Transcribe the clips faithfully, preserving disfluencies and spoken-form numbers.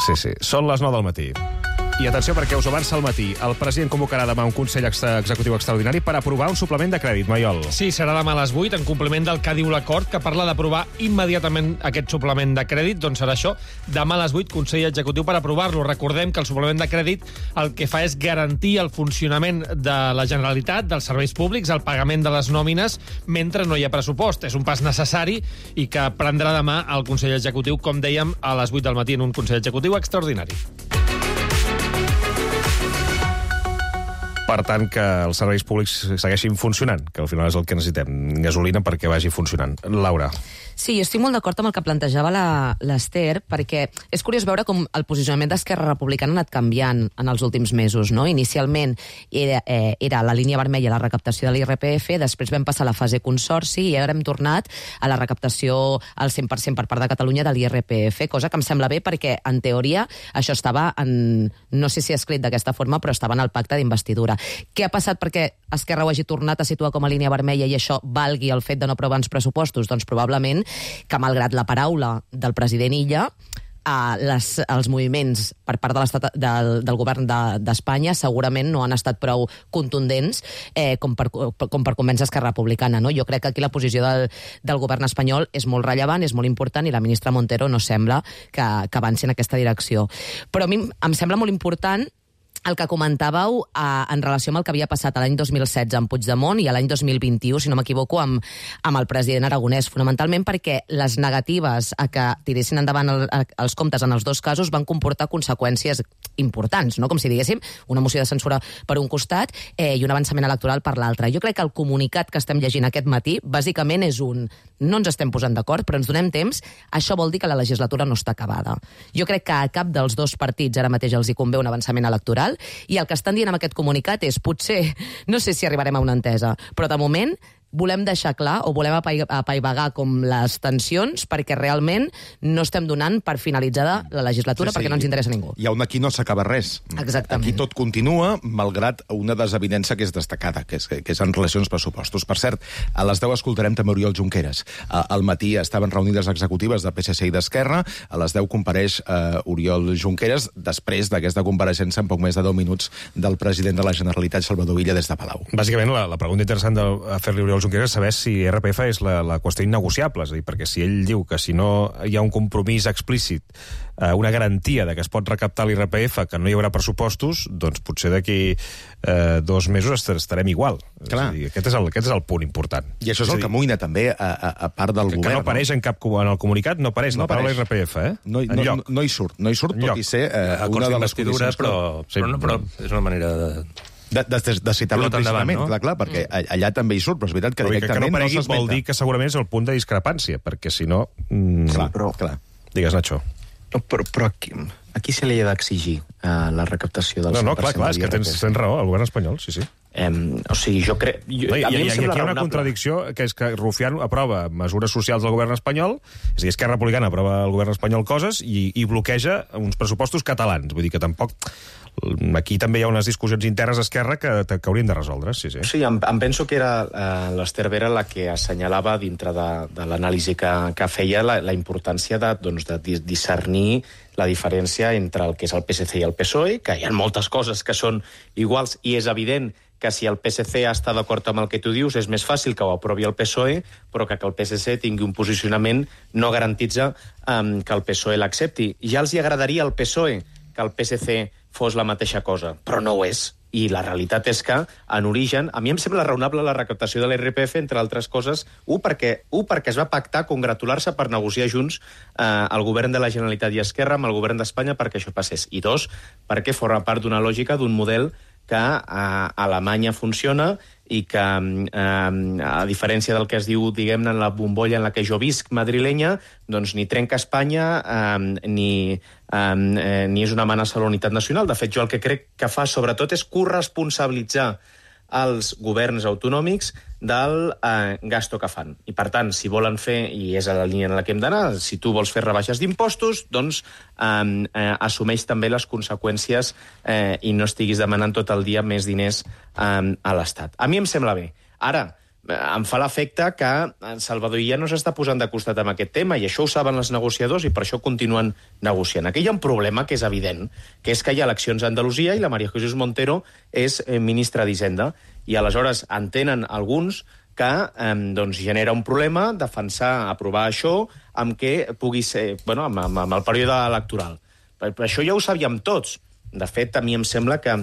Sí, sí. Són les nou del matí. I atenció, perquè us avança al matí. El president convocarà demà un Consell Executiu Extraordinari per aprovar un suplement de crèdit, Maiol. Sí, serà demà a les vuit, en compliment del que diu l'acord, que parla d'aprovar immediatament aquest suplement de crèdit. Doncs serà això, demà a les vuit, Consell Executiu per aprovar-lo. Recordem que el suplement de crèdit el que fa és garantir el funcionament de la Generalitat, dels serveis públics, el pagament de les nòmines, mentre no hi ha pressupost. És un pas necessari i que prendrà demà el Consell Executiu, com dèiem, a les vuit del matí en un Consell Executiu extraordinari. Per tant, que els serveis públics segueixin funcionant, que al final és el que necessitem, gasolina perquè vagi funcionant. Laura. Sí, jo estic molt d'acord amb el que plantejava l'Ester, perquè és curiós veure com el posicionament d'Esquerra Republicana ha anat canviant en els últims mesos, no? Inicialment era, eh, era la línia vermella la recaptació de l'I R P F, després vam passar a la fase consorci i ara hem tornat a la recaptació al cent per cent per part de Catalunya de l'I R P F, cosa que em sembla bé perquè, en teoria, això estava en... no sé si escrit d'aquesta forma, però estava en el pacte d'investidura. Què ha passat perquè Esquerra ho hagi tornat a situar com a línia vermella i això valgui el fet de no aprovar uns pressupostos? Doncs probablement que, malgrat la paraula del president Illa, eh, les, els moviments per part de l'estat del, del govern d'Espanya de, segurament no han estat prou contundents eh, com, per, com per convèncer Esquerra Republicana. No? Jo crec que aquí la posició del, del govern espanyol és molt rellevant, és molt important, i la ministra Montero no sembla que, que avanci en aquesta direcció. Però a mi em sembla molt important el que comentàveu eh, en relació amb el que havia passat l'any dos mil setze amb Puigdemont i l'any dos mil vint-i-u, si no m'equivoco, amb, amb el president Aragonès, fonamentalment perquè les negatives a que tiressin endavant el, a, els comptes en els dos casos van comportar conseqüències importants, no? Com si diguéssim una moció de censura per un costat eh, i un avançament electoral per l'altre. Jo crec que el comunicat que estem llegint aquest matí bàsicament és un no ens estem posant d'acord, però ens donem temps, això vol dir que la legislatura no està acabada. Jo crec que a cap dels dos partits ara mateix els hi convé un avançament electoral, i el que estan dient amb aquest comunicat és potser, no sé si arribarem a una entesa, però de moment volem deixar clar o volem apaivagar com les tensions perquè realment no estem donant per finalitzada la legislatura, sí, sí, perquè no ens interessa ningú. I on aquí no s'acaba res. Exactament. Aquí tot continua, malgrat una desavinença que és destacada, que és, que és en relació als pressupostos. Per cert, a les deu escoltarem també Oriol Junqueras. Al matí estaven reunides executives de P S C i d'Esquerra, a les deu compareix uh, Oriol Junqueras, després d'aquesta compareixença en poc més de deu minuts del president de la Generalitat, Salvador Illa, des de Palau. Bàsicament, la, la pregunta interessant de fer-li Oriol Junqueras és saber si R P F és la, la qüestió innegociable, és a dir, perquè si ell diu que si no hi ha un compromís explícit, eh, una garantia de que es pot recaptar l'I R P F, que no hi haurà pressupostos, doncs potser d'aquí eh, dos mesos estarem igual. Clar. És a dir, aquest, és el, aquest és el punt important. I això és, és el dir, que amoïna també a, a, a part del que, govern. Que no apareix en cap en el comunicat, no apareix no la paraula I R P F, eh? No, no, no, no hi surt, no hi surt, tot i ser eh, una de les condicions... Però, però, no, però és una manera de... De, de, de, de citar-lo implícitament, no? clar, clar, perquè allà també hi surt, però és veritat que directament que no, aparegui, no s'esmenta. Vol dir que segurament és el punt de discrepància, perquè si no... Mm, clar, però, clar. Digues, Nacho. No, però, però aquí, aquí se li ha d'exigir uh, la recaptació del no, cent per cent. No, clar, clar, és que tens, tens raó, el govern espanyol, sí, sí. Um, o sigui, jo crec... Jo, no, i, a mi i, em i aquí hi ha una raonable. contradicció, que és que Rufián aprova mesures socials del govern espanyol, és a dir, Esquerra Republicana aprova al govern espanyol coses i, i bloqueja uns pressupostos catalans. Vull dir que tampoc... Aquí també hi ha unes discussions internes a Esquerra que, que haurien de resoldre, sí, sí. Sí, em, em penso que era uh, l'Ester Vera la que assenyalava dintre de, de l'anàlisi que, que feia la, la importància de, doncs, de discernir la diferència entre el que és el P S C i el P S O E, que hi ha moltes coses que són iguals, i és evident que si el P S C està d'acord amb el que tu dius, és més fàcil que ho aprovi el P S O E, però que, que el P S C tingui un posicionament no garantitza um, que el P S O E l'accepti. Ja els hi agradaria al P S O E que el P S C fos la mateixa cosa, però no ho és. I la realitat és que, en origen, a mi em sembla raonable la recaptació de l'I R P F, entre altres coses, un, perquè, un, perquè es va pactar congratular-se per negociar junts eh, el govern de la Generalitat i Esquerra amb el govern d'Espanya perquè això passés. I dos, perquè forma part d'una lògica, d'un model que a Alemanya funciona i que, eh, a diferència del que es diu, diguem-ne, en la bombolla en la que jo visc, madrilenya, doncs ni trenca Espanya eh, ni, eh, ni és una amenaça a la unitat nacional. De fet, jo el que crec que fa, sobretot, és corresponsabilitzar els governs autonòmics del eh, gasto que fan. I, per tant, si volen fer, i és a la línia en la que hem d'anar, si tu vols fer rebaixes d'impostos, doncs eh, eh, assumeix també les conseqüències eh, i no estiguis demanant tot el dia més diners eh, a l'Estat. A mi em sembla bé. Ara, em fa l'efecte que Salvador Illa no s'està posant de costat amb aquest tema, i això ho saben els negociadors i per això continuen negociant. Aquí hi ha un problema que és evident, que és que hi ha eleccions a Andalusia i la María Jesús Montero és eh, ministra d'Hisenda, i aleshores entenen alguns que eh, doncs, genera un problema defensar, aprovar això, amb què pugui ser, bueno, amb, amb, amb el període electoral. Per, per això ja ho sabíem tots. De fet, a mi em sembla que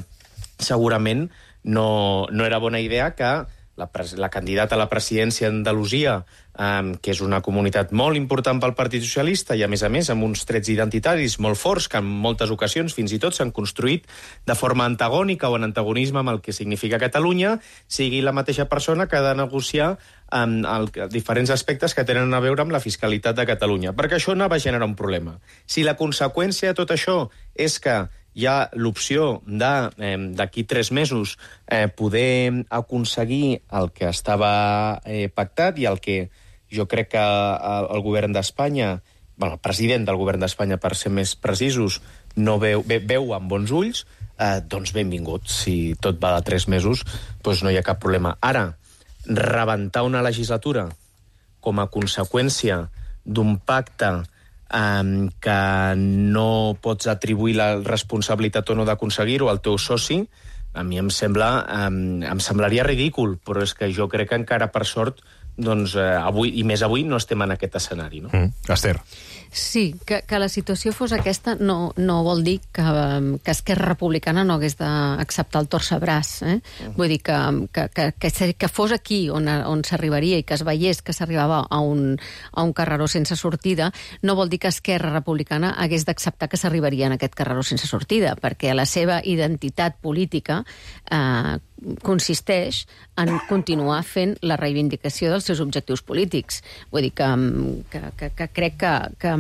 segurament no, no era bona idea que la, la candidata a la presidència d'Andalusia, eh, que és una comunitat molt important pel Partit Socialista i, a més a més, amb uns trets identitaris molt forts que en moltes ocasions fins i tot s'han construït de forma antagònica o en antagonisme amb el que significa Catalunya, sigui la mateixa persona que ha de negociar amb el, diferents aspectes que tenen a veure amb la fiscalitat de Catalunya, perquè això no va generar un problema. Si la conseqüència de tot això és que hi ha l'opció d'aquí eh, tres mesos eh, poder aconseguir el que estava eh, pactat i el que jo crec que el, el govern d'Espanya, bueno, el president del govern d'Espanya, per ser més precisos, no veu, ve, veu amb bons ulls, eh, doncs benvingut. Si tot va de tres mesos, doncs no hi ha cap problema. Ara, rebentar una legislatura com a conseqüència d'un pacte Um, que no pots atribuir la responsabilitat o no d'aconseguir-ho al teu soci, a mi em sembla, um, em semblaria ridícul, però és que jo crec que encara, per sort, doncs, eh, avui, i més avui, no estem en aquest escenari. No? Mm. Esther. Sí, que, que la situació fos aquesta no, no vol dir que, que Esquerra Republicana no hagués d'acceptar el torcebràs. Eh? Mm. Vull dir que, que, que, que, que fos aquí on, on s'arribaria i que es veiés que s'arribava a, un, a un carreró sense sortida, no vol dir que Esquerra Republicana hagués d'acceptar que s'arribaria en aquest carreró sense sortida, perquè la seva identitat política eh, consisteix en continuar fent la reivindicació dels seus objectius polítics. Vull dir que, que, que, que crec que, que,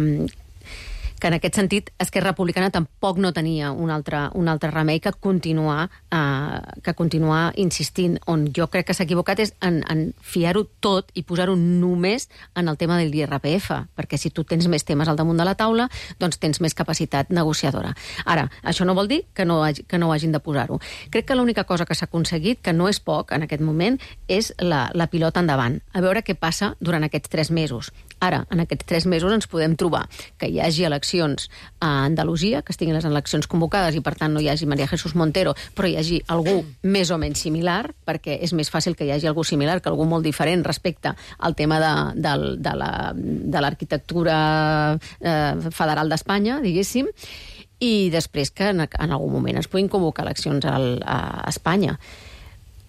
que en aquest sentit Esquerra Republicana tampoc no tenia un altre, un altre remei que continuar, eh, que continuar insistint. On jo crec que s'ha equivocat és en, en fiar-ho tot i posar-ho només en el tema de l'I R P F, perquè si tu tens més temes al damunt de la taula, doncs tens més capacitat negociadora. Ara, això no vol dir que no, hagi, que no hagin de posar-ho. Crec que l'única cosa que s'ha aconseguit, que no és poc en aquest moment, és la, la pilota endavant. A veure què passa durant aquests tres mesos. Ara, en aquests tres mesos ens podem trobar que hi hagi eleccions a Andalusia, que estiguin les eleccions convocades i, per tant, no hi hagi María Jesús Montero, però hi hagi algú més o menys similar, perquè és més fàcil que hi hagi algú similar que algú molt diferent respecte al tema de, de, de, la, de l'arquitectura eh, federal d'Espanya, diguéssim, i després que en, en algun moment es puguin convocar eleccions al, a Espanya.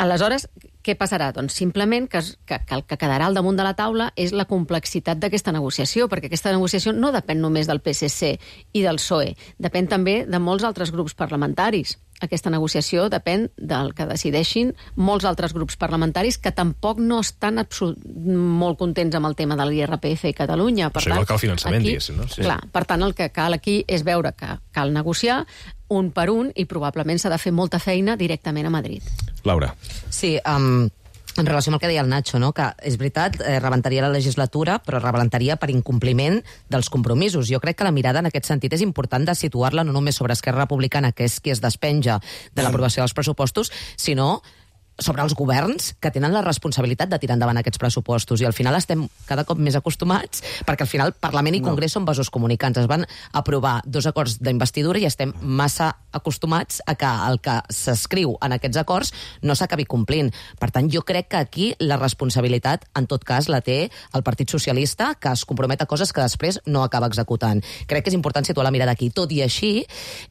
Aleshores, què passarà? Doncs simplement que, que, que el que quedarà al damunt de la taula és la complexitat d'aquesta negociació, perquè aquesta negociació no depèn només del P S C i del P S O E, depèn també de molts altres grups parlamentaris. Aquesta negociació depèn del que decideixin molts altres grups parlamentaris que tampoc no estan molt contents amb el tema de l'I R P F i Catalunya. Per Això tant, igual que el finançament, aquí, diguéssim, no? Sí. Clar, per tant, el que cal aquí és veure que cal negociar un per un i probablement s'ha de fer molta feina directament a Madrid. Laura. Sí, um, en relació amb el que deia el Nacho, no? Que és veritat, eh, rebentaria la legislatura, però rebentaria per incompliment dels compromisos. Jo crec que la mirada en aquest sentit és important de situar-la no només sobre Esquerra Republicana, que és qui es despenja de l'aprovació dels pressupostos, sinó sobre els governs que tenen la responsabilitat de tirar endavant aquests pressupostos. I al final estem cada cop més acostumats, perquè al final Parlament i Congrés no. són vasos comunicants. Es van aprovar dos acords d'investidura i estem massa acostumats a que el que s'escriu en aquests acords no s'acabi complint. Per tant, jo crec que aquí la responsabilitat, en tot cas, la té el Partit Socialista, que es compromet a coses que després no acaba executant. Crec que és important situar la mirada aquí. Tot i així,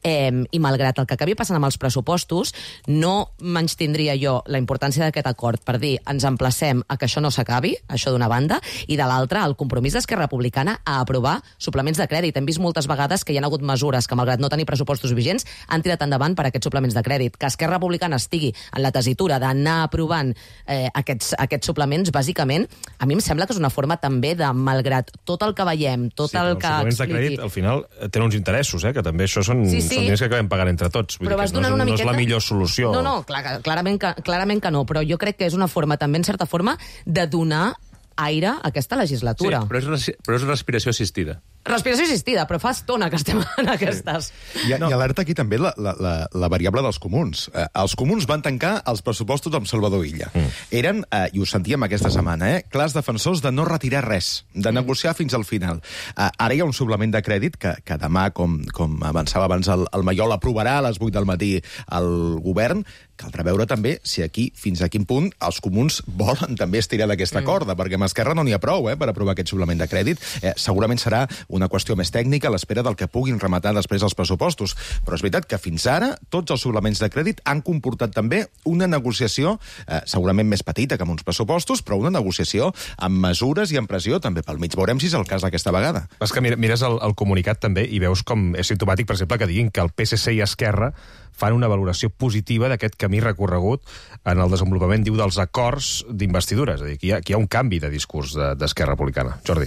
eh, i malgrat el que acabi passant amb els pressupostos, no menystindria jo la importància d'aquest acord per dir ens emplacem a que això no s'acabi, això d'una banda, i de l'altra, el compromís d'Esquerra Republicana a aprovar suplements de crèdit. Hem vist moltes vegades que hi ha hagut mesures que, malgrat no tenir pressupostos vigents, han tirat endavant per aquests suplements de crèdit. Que Esquerra Republicana estigui en la tessitura d'anar aprovant eh, aquests, aquests suplements, bàsicament, a mi em sembla que és una forma també de, malgrat tot el que veiem, tot sí, el que els suplements de crèdit, al final, tenen uns interessos, eh, que també això són, sí, sí. són diners que acabem pagant entre tots. Vull però dir vas que no, donant és, una no miqueta... és la millor solució. No, no, clar, clarament que, clarament que no, però jo crec que és una forma, també en certa forma, de donar aire a aquesta legislatura. Sí, però és, però és respiració assistida. Respiració assistida, però fa estona que estem en aquestes. I, no. I alerta aquí també la, la, la, la variable dels comuns. Eh, els comuns van tancar els pressupostos amb Salvador Illa. Mm. Eren, eh, i ho sentíem aquesta setmana, eh, clars defensors de no retirar res, de negociar fins al final. Eh, ara hi ha un suplement de crèdit que, que demà, com, com avançava abans el, el Maiol, aprovarà a les vuit del matí el govern. Caldrà veure també si aquí, fins a quin punt, els comuns volen també estirar d'aquesta mm. corda, perquè amb Esquerra no n'hi ha prou eh, per aprovar aquest suplement de crèdit. Eh, segurament serà una qüestió més tècnica a l'espera del que puguin rematar després els pressupostos. Però és veritat que fins ara tots els suplements de crèdit han comportat també una negociació, eh, segurament més petita que amb uns pressupostos, però una negociació amb mesures i amb pressió també pel mig. Veurem si és el cas aquesta vegada. És que mires el, el comunicat també i veus com és simptomàtic, per exemple, que diguin que el P S C i Esquerra fan una valoració positiva d'aquest camí recorregut en el desenvolupament, diu, dels acords d'investidura. És a dir, que hi ha, que hi ha un canvi de discurs d'Esquerra Republicana. Jordi.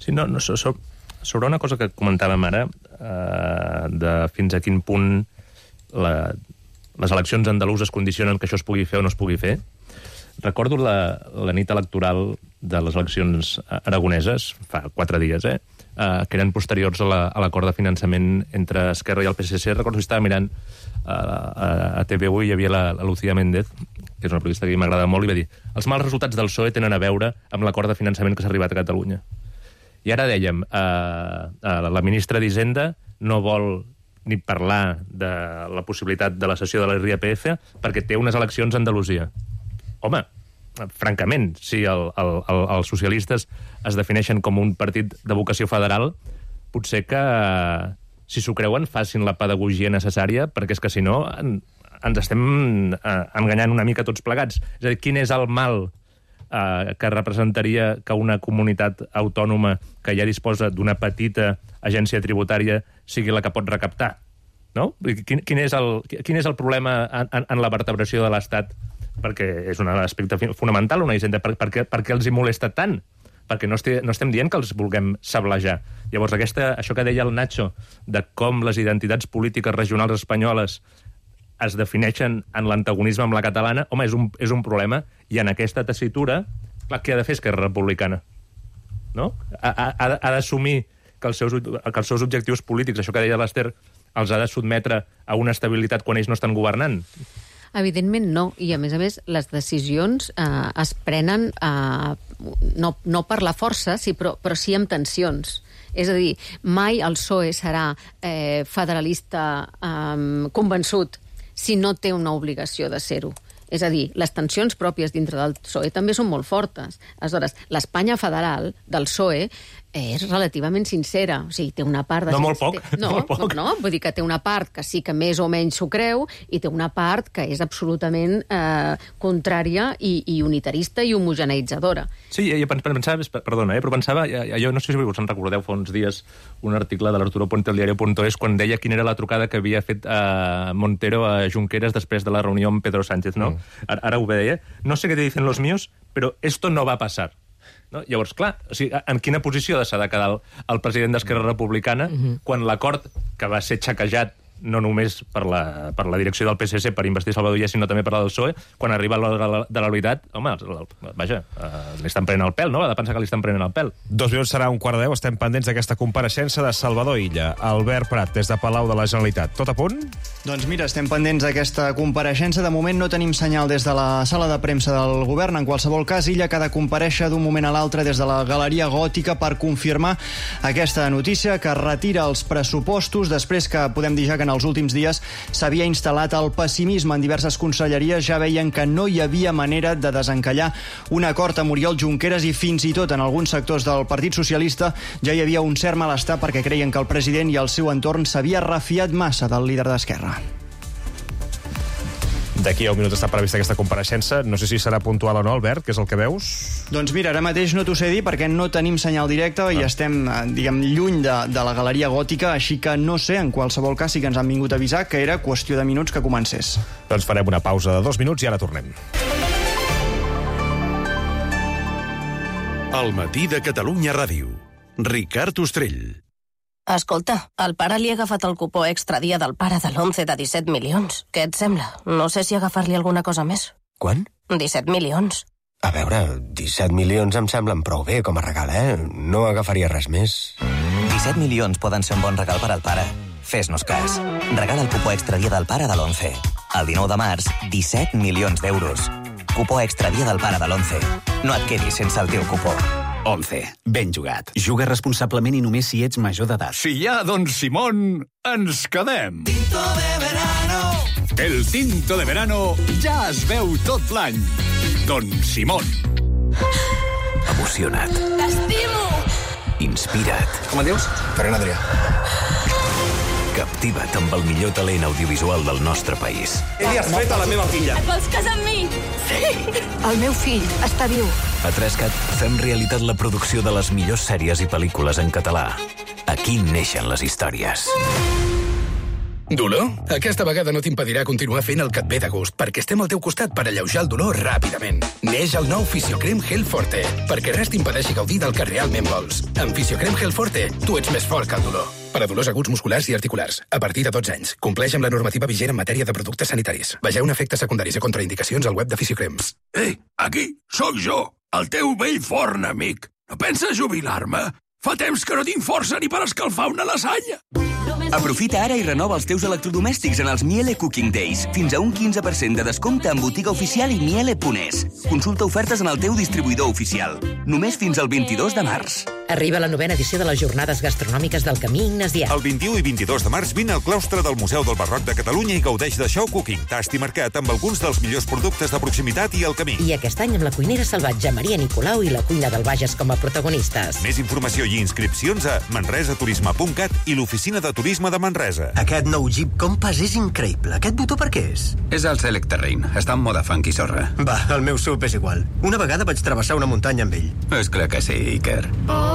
Sí, no, no, so, so, sobre una cosa que comentàvem ara, eh, de fins a quin punt la, les eleccions andaluses condicionen que això es pugui fer o no es pugui fer, recordo la, la nit electoral de les eleccions aragoneses, fa quatre dies, eh? Uh, que eren posteriors a l'acord la, de finançament entre Esquerra i el P S C. Recordo que estava mirant uh, a, a T V u i hi havia la, la Lucía Méndez, que és una periodista que m'agrada molt, i va dir: els mals resultats del P S O E tenen a veure amb l'acord de finançament que s'ha arribat a Catalunya. I ara dèiem, uh, uh, la ministra d'Hisenda no vol ni parlar de la possibilitat de la cessió de l'I R P F perquè té unes eleccions a Andalusia. Home, francament, si el, el, el, els socialistes es defineixen com un partit de vocació federal, potser que, si s'ho creuen, facin la pedagogia necessària, perquè és que, si no, en, ens estem eh, enganyant una mica tots plegats. És a dir, quin és el mal eh, que representaria que una comunitat autònoma que ja disposa d'una petita agència tributària sigui la que pot recaptar? No? Quin, quin, és el, quin és el problema en, en, en la vertebració de l'Estat? Perquè és un aspecte fonamental, una hisenda. Per, per, què, per què els hi molesta tant? Perquè no, este, no estem dient que els vulguem sablejar. Llavors, aquesta, això que deia el Nacho, de com les identitats polítiques regionals espanyoles es defineixen en l'antagonisme amb la catalana, home, és un, és un problema, i en aquesta tessitura, clar, què ha de fer Esquerra Republicana? No? Ha, ha, ha d'assumir que els, seus, que els seus objectius polítics, això que deia l'Ester, els ha de sotmetre a una estabilitat quan ells no estan governant? Evidentment no, i a més a més les decisions eh, es prenen eh, no, no per la força, sí, però, però sí amb tensions. És a dir, mai el P S O E serà eh, federalista eh, convençut si no té una obligació de ser-ho. És a dir, les tensions pròpies dintre del P S O E també són molt fortes. Aleshores, l'Espanya federal del P S O E és relativament sincera. O sigui, té una part... De no, molt poc. No, molt poc. no, no, vull dir que té una part que sí que més o menys s'ho creu i té una part que és absolutament eh, contrària i, i unitarista i homogeneitzadora. Sí, jo pensava, perdona, eh, però pensava, jo no sé si us en recordeu fa uns dies un article de l'Arturo Puente al diario punto es quan deia quina era la trucada que havia fet eh, Montero a Junqueras després de la reunió amb Pedro Sánchez, no? Mm. Ara, ara ho deia. No sé què te dicen los míos, però esto no va a pasar. No? Llavors, clar, o sigui, en quina posició s'ha de quedar el, el president d'Esquerra Republicana mm-hmm. quan l'acord que va ser xaquejat no només per la, per la direcció del P S C per investir Salvador Illa, sinó també per la del P S O E, quan arriba l'hora de la veritat, home, vaja, eh, li estan prenent el pèl, no? Ha de pensar que li estan prenent el pèl. Dos minuts serà un quart de deu, estem pendents d'aquesta compareixença de Salvador Illa. Albert Prat, des de Palau de la Generalitat. Tot a punt? Doncs mira, estem pendents d'aquesta compareixença. De moment no tenim senyal des de la sala de premsa del govern. En qualsevol cas, Illa que ha de comparèixer d'un moment a l'altre des de la Galeria Gòtica per confirmar aquesta notícia, que retira els pressupostos després que podem dir ja que en els últims dies s'havia instal·lat el pessimisme en diverses conselleries. Ja veien que no hi havia manera de desencallar un acord amb Oriol Junqueras i fins i tot en alguns sectors del Partit Socialista ja hi havia un cert malestar perquè creien que el president i el seu entorn s'havia refiat massa del líder d'Esquerra. D'aquí a un minut està prevista aquesta compareixença. No sé si serà puntual o no, Albert, què és el que veus? Doncs mira, ara mateix no t'ho sé dir perquè no tenim senyal directe ah. i estem, diguem, lluny de, de la Galeria Gòtica, així que no sé, en qualsevol cas sí que ens han vingut a avisar que era qüestió de minuts que comencés. Doncs farem una pausa de dos minuts i ara tornem. El matí de Catalunya Ràdio. Ricard Ostrell. Escolta, el pare li ha agafat el cupó extra dia del pare de l'onze de disset milions. Què et sembla? No sé si agafar-li alguna cosa més. Quan? disset milions. A veure, disset milions em semblen prou bé com a regal, eh? No agafaria res més. disset milions poden ser un bon regal per al pare. Fes-nos cas. Regala el cupó extra dia del pare de l'onze. El dinou de març, disset milions d'euros. Cupó extra dia del pare de l'onze. No et quedis sense el teu cupó. once. Ben jugat. Juga responsablement i només si ets major d'edat. Si hi ha Don Simón, ens quedem. Tinto de verano. El tinto de verano ja es veu tot l'any. Don Simón. Emociona't. T'estimo! Inspira't. Com et dius? Ferran Adrià. Captiva't amb el millor talent audiovisual del nostre país. Què li has fet a la meva filla? Et vols casar amb mi? Sí! El meu fill està viu. A Trescat fem realitat la producció de les millors sèries i pel·lícules en català. Aquí neixen les històries. Dolor? Aquesta vegada no t'impedirà continuar fent el que et ve de gust, perquè estem al teu costat per alleujar el dolor ràpidament. Neix el nou Fisiocrem Gel Forte, perquè res t'impedeixi gaudir del que realment vols. Amb Fisiocrem Gel Forte, tu ets més fort que el dolor. Per a dolors aguts musculars i articulars, a partir de dotze anys. Compleix amb la normativa vigent en matèria de productes sanitaris. Vegeu efectes secundaris i contraindicacions al web de Fisiocrems. Ei, aquí, sóc jo, el teu vell forn amic. No penses jubilar-me? Fa temps que no tinc força ni per escalfar una lasanya. Aprofita ara i renova els teus electrodomèstics en els Miele Cooking Days. Fins a un quinze per cent de descompte en botiga oficial i miele punt es. Consulta ofertes en el teu distribuïdor oficial. Només fins al vint-i-dos de març. Arriba la novena edició de les Jornades Gastronòmiques del Camí Ignasià. El vint-i-u i vint-i-dos de març vine al claustre del Museu del Barroc de Catalunya i gaudeix de show cooking, tast i mercat amb alguns dels millors productes de proximitat i el camí. I aquest any amb la cuinera salvatge Maria Nicolau i la cuina del Bages com a protagonistes. Més informació i inscripcions a manresaturisme punt cat i l'oficina de turisme de Manresa. Aquest nou Jeep Compass és increïble. Aquest botó per què és? És el Select Terrain. Està en moda funky sorra. Va, el meu S U V és igual. Una vegada vaig travessar una muntanya amb ell. És clar que sí, Iker.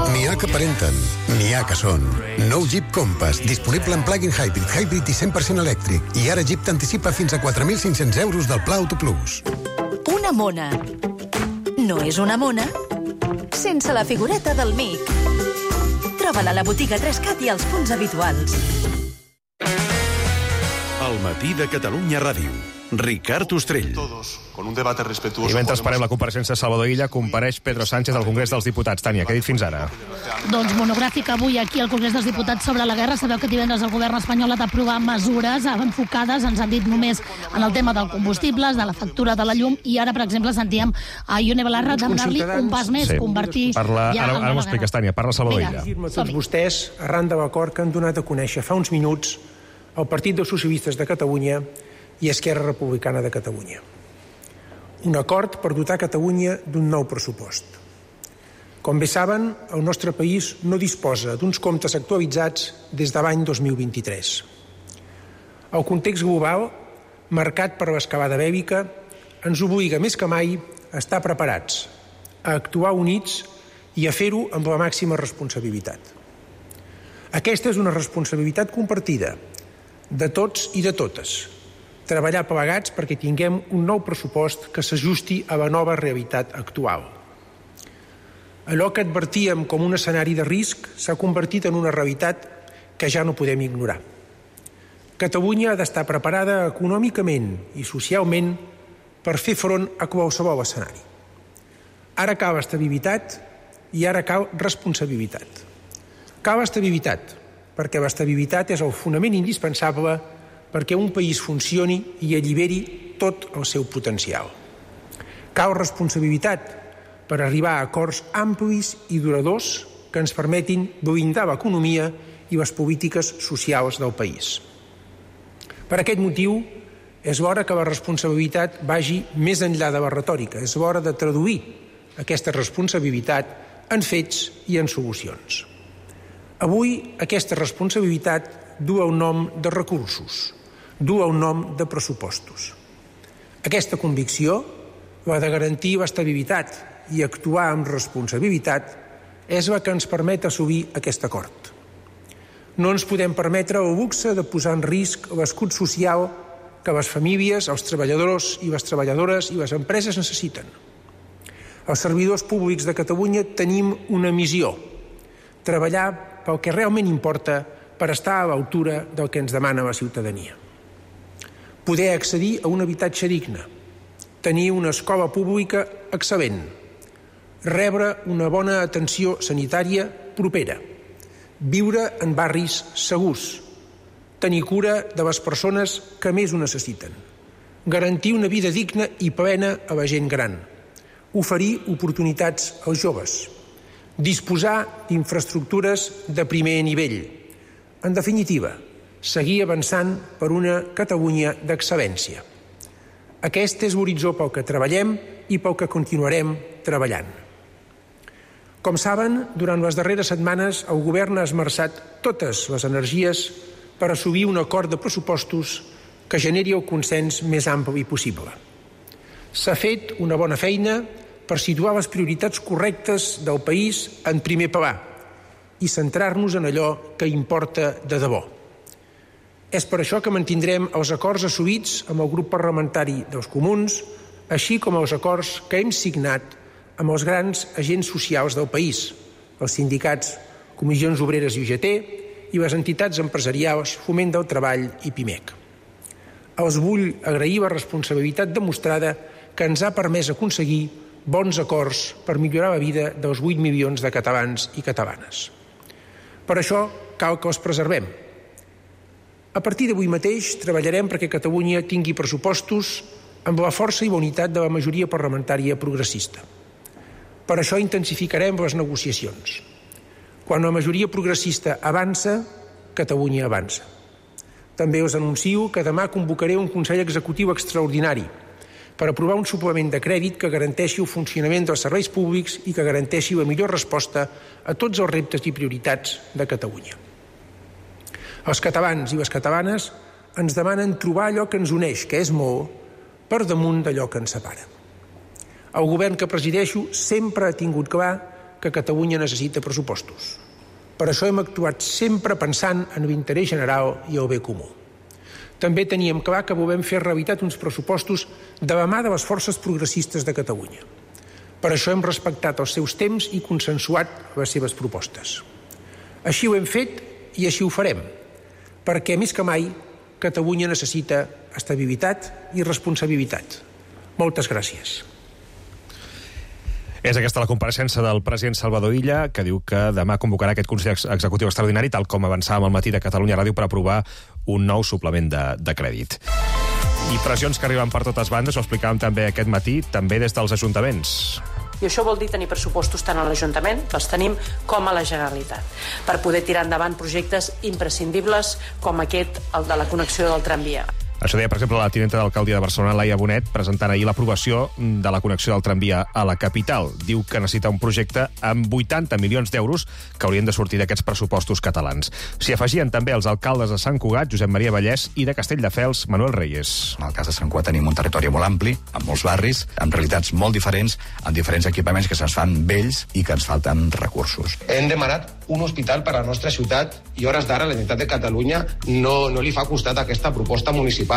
N'hi ha que aparenten, n'hi ha que són. Nou Jeep Compass, disponible en plug-in hybrid, hybrid i cent per cent elèctric. I ara Jeep t'anticipa fins a quatre mil cinc-cents euros del Pla Auto Plus. Una mona. No és una mona sense la figureta del mic. Troba-la a la botiga Trescat i als punts habituals. El matí de Catalunya Ràdio. Ricard Ostrell. Con un debate respetuoso. I mentre esperem la compareixença de Salvador Illa, compareix Pedro Sánchez al Congrés dels Diputats. Tània, què ha dit fins ara? Doncs monogràfic avui aquí al Congrés dels Diputats sobre la guerra. Sabeu que divendres el govern espanyol ha d'aprovar mesures enfocades, ens han dit, només en el tema del combustibles, de la factura de la llum, i ara, per exemple, sentíem a Ione Belarra demanar-li un pas més, sí. convertir... Parla, ja ara ara m'ho expliques, Tània. Parla Salvador Illa. Afirma tots vostès, arran de l'acord que han donat a conèixer fa uns minuts el Partit dels Socialistes de Catalunya i Esquerra Republicana de Catalunya. Un acord per dotar Catalunya d'un nou pressupost. Com bé saben, el nostre país no disposa d'uns comptes actualitzats des de l'any dos mil vint-i-tres. El context global, marcat per l'escalada bèl·lica, ens obliga més que mai a estar preparats, a actuar units i a fer-ho amb la màxima responsabilitat. Aquesta és una responsabilitat compartida de tots i de totes, treballar plegats perquè tinguem un nou pressupost que s'ajusti a la nova realitat actual. Allò que advertíem com un escenari de risc s'ha convertit en una realitat que ja no podem ignorar. Catalunya ha d'estar preparada econòmicament i socialment per fer front a qualsevol escenari. Ara cal estabilitat i ara cal responsabilitat. Cal estabilitat, perquè l'estabilitat és el fonament indispensable perquè un país funcioni i alliberi tot el seu potencial. Cal responsabilitat per arribar a acords amplis i duradors que ens permetin blindar l'economia i les polítiques socials del país. Per aquest motiu, és l'hora que la responsabilitat vagi més enllà de la retòrica. És l'hora de traduir aquesta responsabilitat en fets i en solucions. Avui, aquesta responsabilitat du el nom de recursos, du el nom de pressupostos. Aquesta convicció, la de garantir l'estabilitat i actuar amb responsabilitat, és la que ens permet assolir aquest acord. No ens podem permetre el luxe de posar en risc l'escut social que les famílies, els treballadors i les treballadores i les empreses necessiten. Els servidors públics de Catalunya tenim una missió: treballar pel que realment importa per estar a l'altura del que ens demana la ciutadania. Poder accedir a un habitatge digne, tenir una escola pública excel·lent, rebre una bona atenció sanitària propera, viure en barris segurs, tenir cura de les persones que més ho necessiten, garantir una vida digna i plena a la gent gran, oferir oportunitats als joves, disposar d'infraestructures de primer nivell. En definitiva, seguir avançant per una Catalunya d'excel·lència. Aquest és l'horitzó pel que treballem i pel que continuarem treballant. Com saben, durant les darreres setmanes el govern ha esmerçat totes les energies per assolir un acord de pressupostos que generi el consens més ampli possible. S'ha fet una bona feina per situar les prioritats correctes del país en primer pla i centrar-nos en allò que importa de debò. És per això que mantindrem els acords assolits amb el grup parlamentari dels Comuns, així com els acords que hem signat amb els grans agents socials del país, els sindicats, comissions obreres i U G T i les entitats empresarials Foment del Treball i PIMEC. Els vull agrair la responsabilitat demostrada que ens ha permès aconseguir bons acords per millorar la vida dels vuit milions de catalans i catalanes. Per això cal que els preservem. A partir d'avui mateix treballarem perquè Catalunya tingui pressupostos amb la força i la unitat de la majoria parlamentària progressista. Per això intensificarem les negociacions. Quan la majoria progressista avança, Catalunya avança. També us anuncio que demà convocaré un Consell Executiu extraordinari per aprovar un suplement de crèdit que garanteixi el funcionament dels serveis públics i que garanteixi la millor resposta a tots els reptes i prioritats de Catalunya. Els catalans i les catalanes ens demanen trobar allò que ens uneix, que és molt, per damunt d'allò que ens separa. El govern que presideixo sempre ha tingut clar que Catalunya necessita pressupostos. Per això hem actuat sempre pensant en l'interès general i el bé comú. També teníem clar que volem fer realitat uns pressupostos de la mà de les forces progressistes de Catalunya. Per això hem respectat els seus temps i consensuat les seves propostes. Així ho hem fet i així ho farem, perquè més que mai Catalunya necessita estabilitat i responsabilitat. Moltes gràcies. És aquesta la compareixença del president Salvador Illa, que diu que demà convocarà aquest Consell Executiu Extraordinari, tal com avançàvem al matí de Catalunya Ràdio, per aprovar un nou suplement de, de crèdit. I pressions que arriben per totes bandes, ho explicàvem també aquest matí, també des dels ajuntaments. I això vol dir tenir pressupostos tant a l'Ajuntament, que els tenim, com a la Generalitat, per poder tirar endavant projectes imprescindibles com aquest, el de la connexió del tramvia. Això deia, per exemple, la tinenta d'alcaldia de Barcelona, Laia Bonet, presentant ahir l'aprovació de la connexió del tramvia a la capital. Diu que necessita un projecte amb vuitanta milions d'euros que haurien de sortir d'aquests pressupostos catalans. S'hi afegien també els alcaldes de Sant Cugat, Josep Maria Vallès, i de Castelldefels, Manuel Reyes. En el cas de Sant Cugat tenim un territori molt ampli, amb molts barris, amb realitats molt diferents, amb diferents equipaments que se'ns fan vells i que ens falten recursos. Hem demanat un hospital per a la nostra ciutat i hores d'ara la Generalitat de Catalunya no, no li fa costat a aquesta proposta municipal.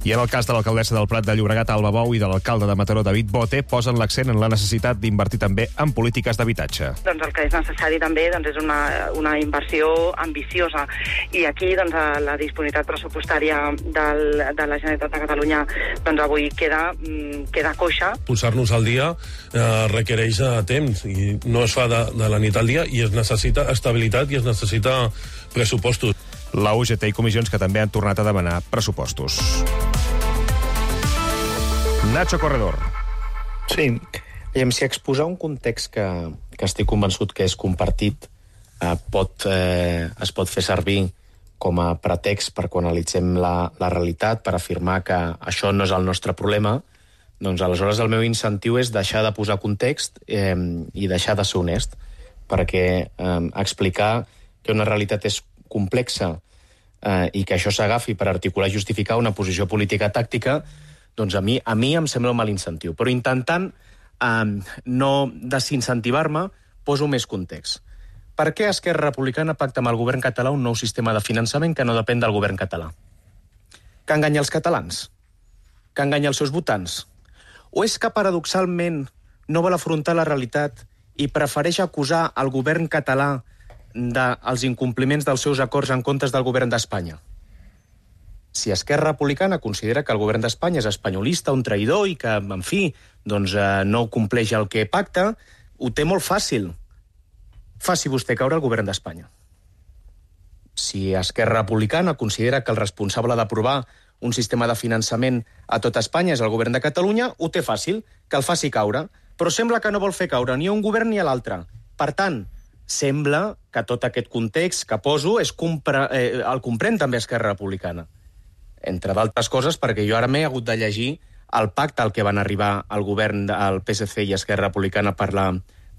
I en el cas de l'alcaldessa del Prat de Llobregat, Alba Bou, i de l'alcalde de Mataró, David Bote, posen l'accent en la necessitat d'invertir també en polítiques d'habitatge. Doncs el que és necessari també doncs, és una, una inversió ambiciosa. I aquí doncs, la disponibilitat pressupostària del, de la Generalitat de Catalunya doncs, avui queda, queda coixa. Posar-nos al dia eh, requereix temps i no es fa de, de la nit al dia i es necessita estabilitat i es necessita pressupostos. La U G T i comissions que també han tornat a demanar pressupostos. Nacho Corredor. Sí, i si exposar un context que, que estic convençut que és compartit eh, pot, eh, es pot fer servir com a pretext per quan analitzem la, la realitat, per afirmar que això no és el nostre problema, doncs aleshores el meu incentiu és deixar de posar context eh, i deixar de ser honest, perquè eh, explicar que una realitat és complexa eh, i que això s'agafi per articular i justificar una posició política tàctica, doncs a mi, a mi em sembla un mal incentiu. Però intentant eh, no desincentivar-me, poso més context. Per què Esquerra Republicana pacta amb el govern català un nou sistema de finançament que no depèn del govern català? Que enganya els catalans? Que enganya els seus votants? O és que paradoxalment no vol afrontar la realitat i prefereix acusar el govern català dels incompliments dels seus acords en comptes del govern d'Espanya? Si Esquerra Republicana considera que el govern d'Espanya és espanyolista, un traïdor i que, en fi, doncs, eh, no compleix el que pacta, ho té molt fàcil. Faci vostè caure el govern d'Espanya. si Esquerra Republicana considera que el responsable d'aprovar un sistema de finançament a tot Espanya és el govern de Catalunya, ho té fàcil, que el faci caure. Però sembla que no vol fer caure ni a un govern ni a l'altre. Per tant, sembla que tot aquest context que poso és compre, eh, el comprèn també Esquerra Republicana. Entre d'altres coses, perquè jo ara m'he hagut de llegir el pacte al que van arribar el govern del P S C i Esquerra Republicana per la,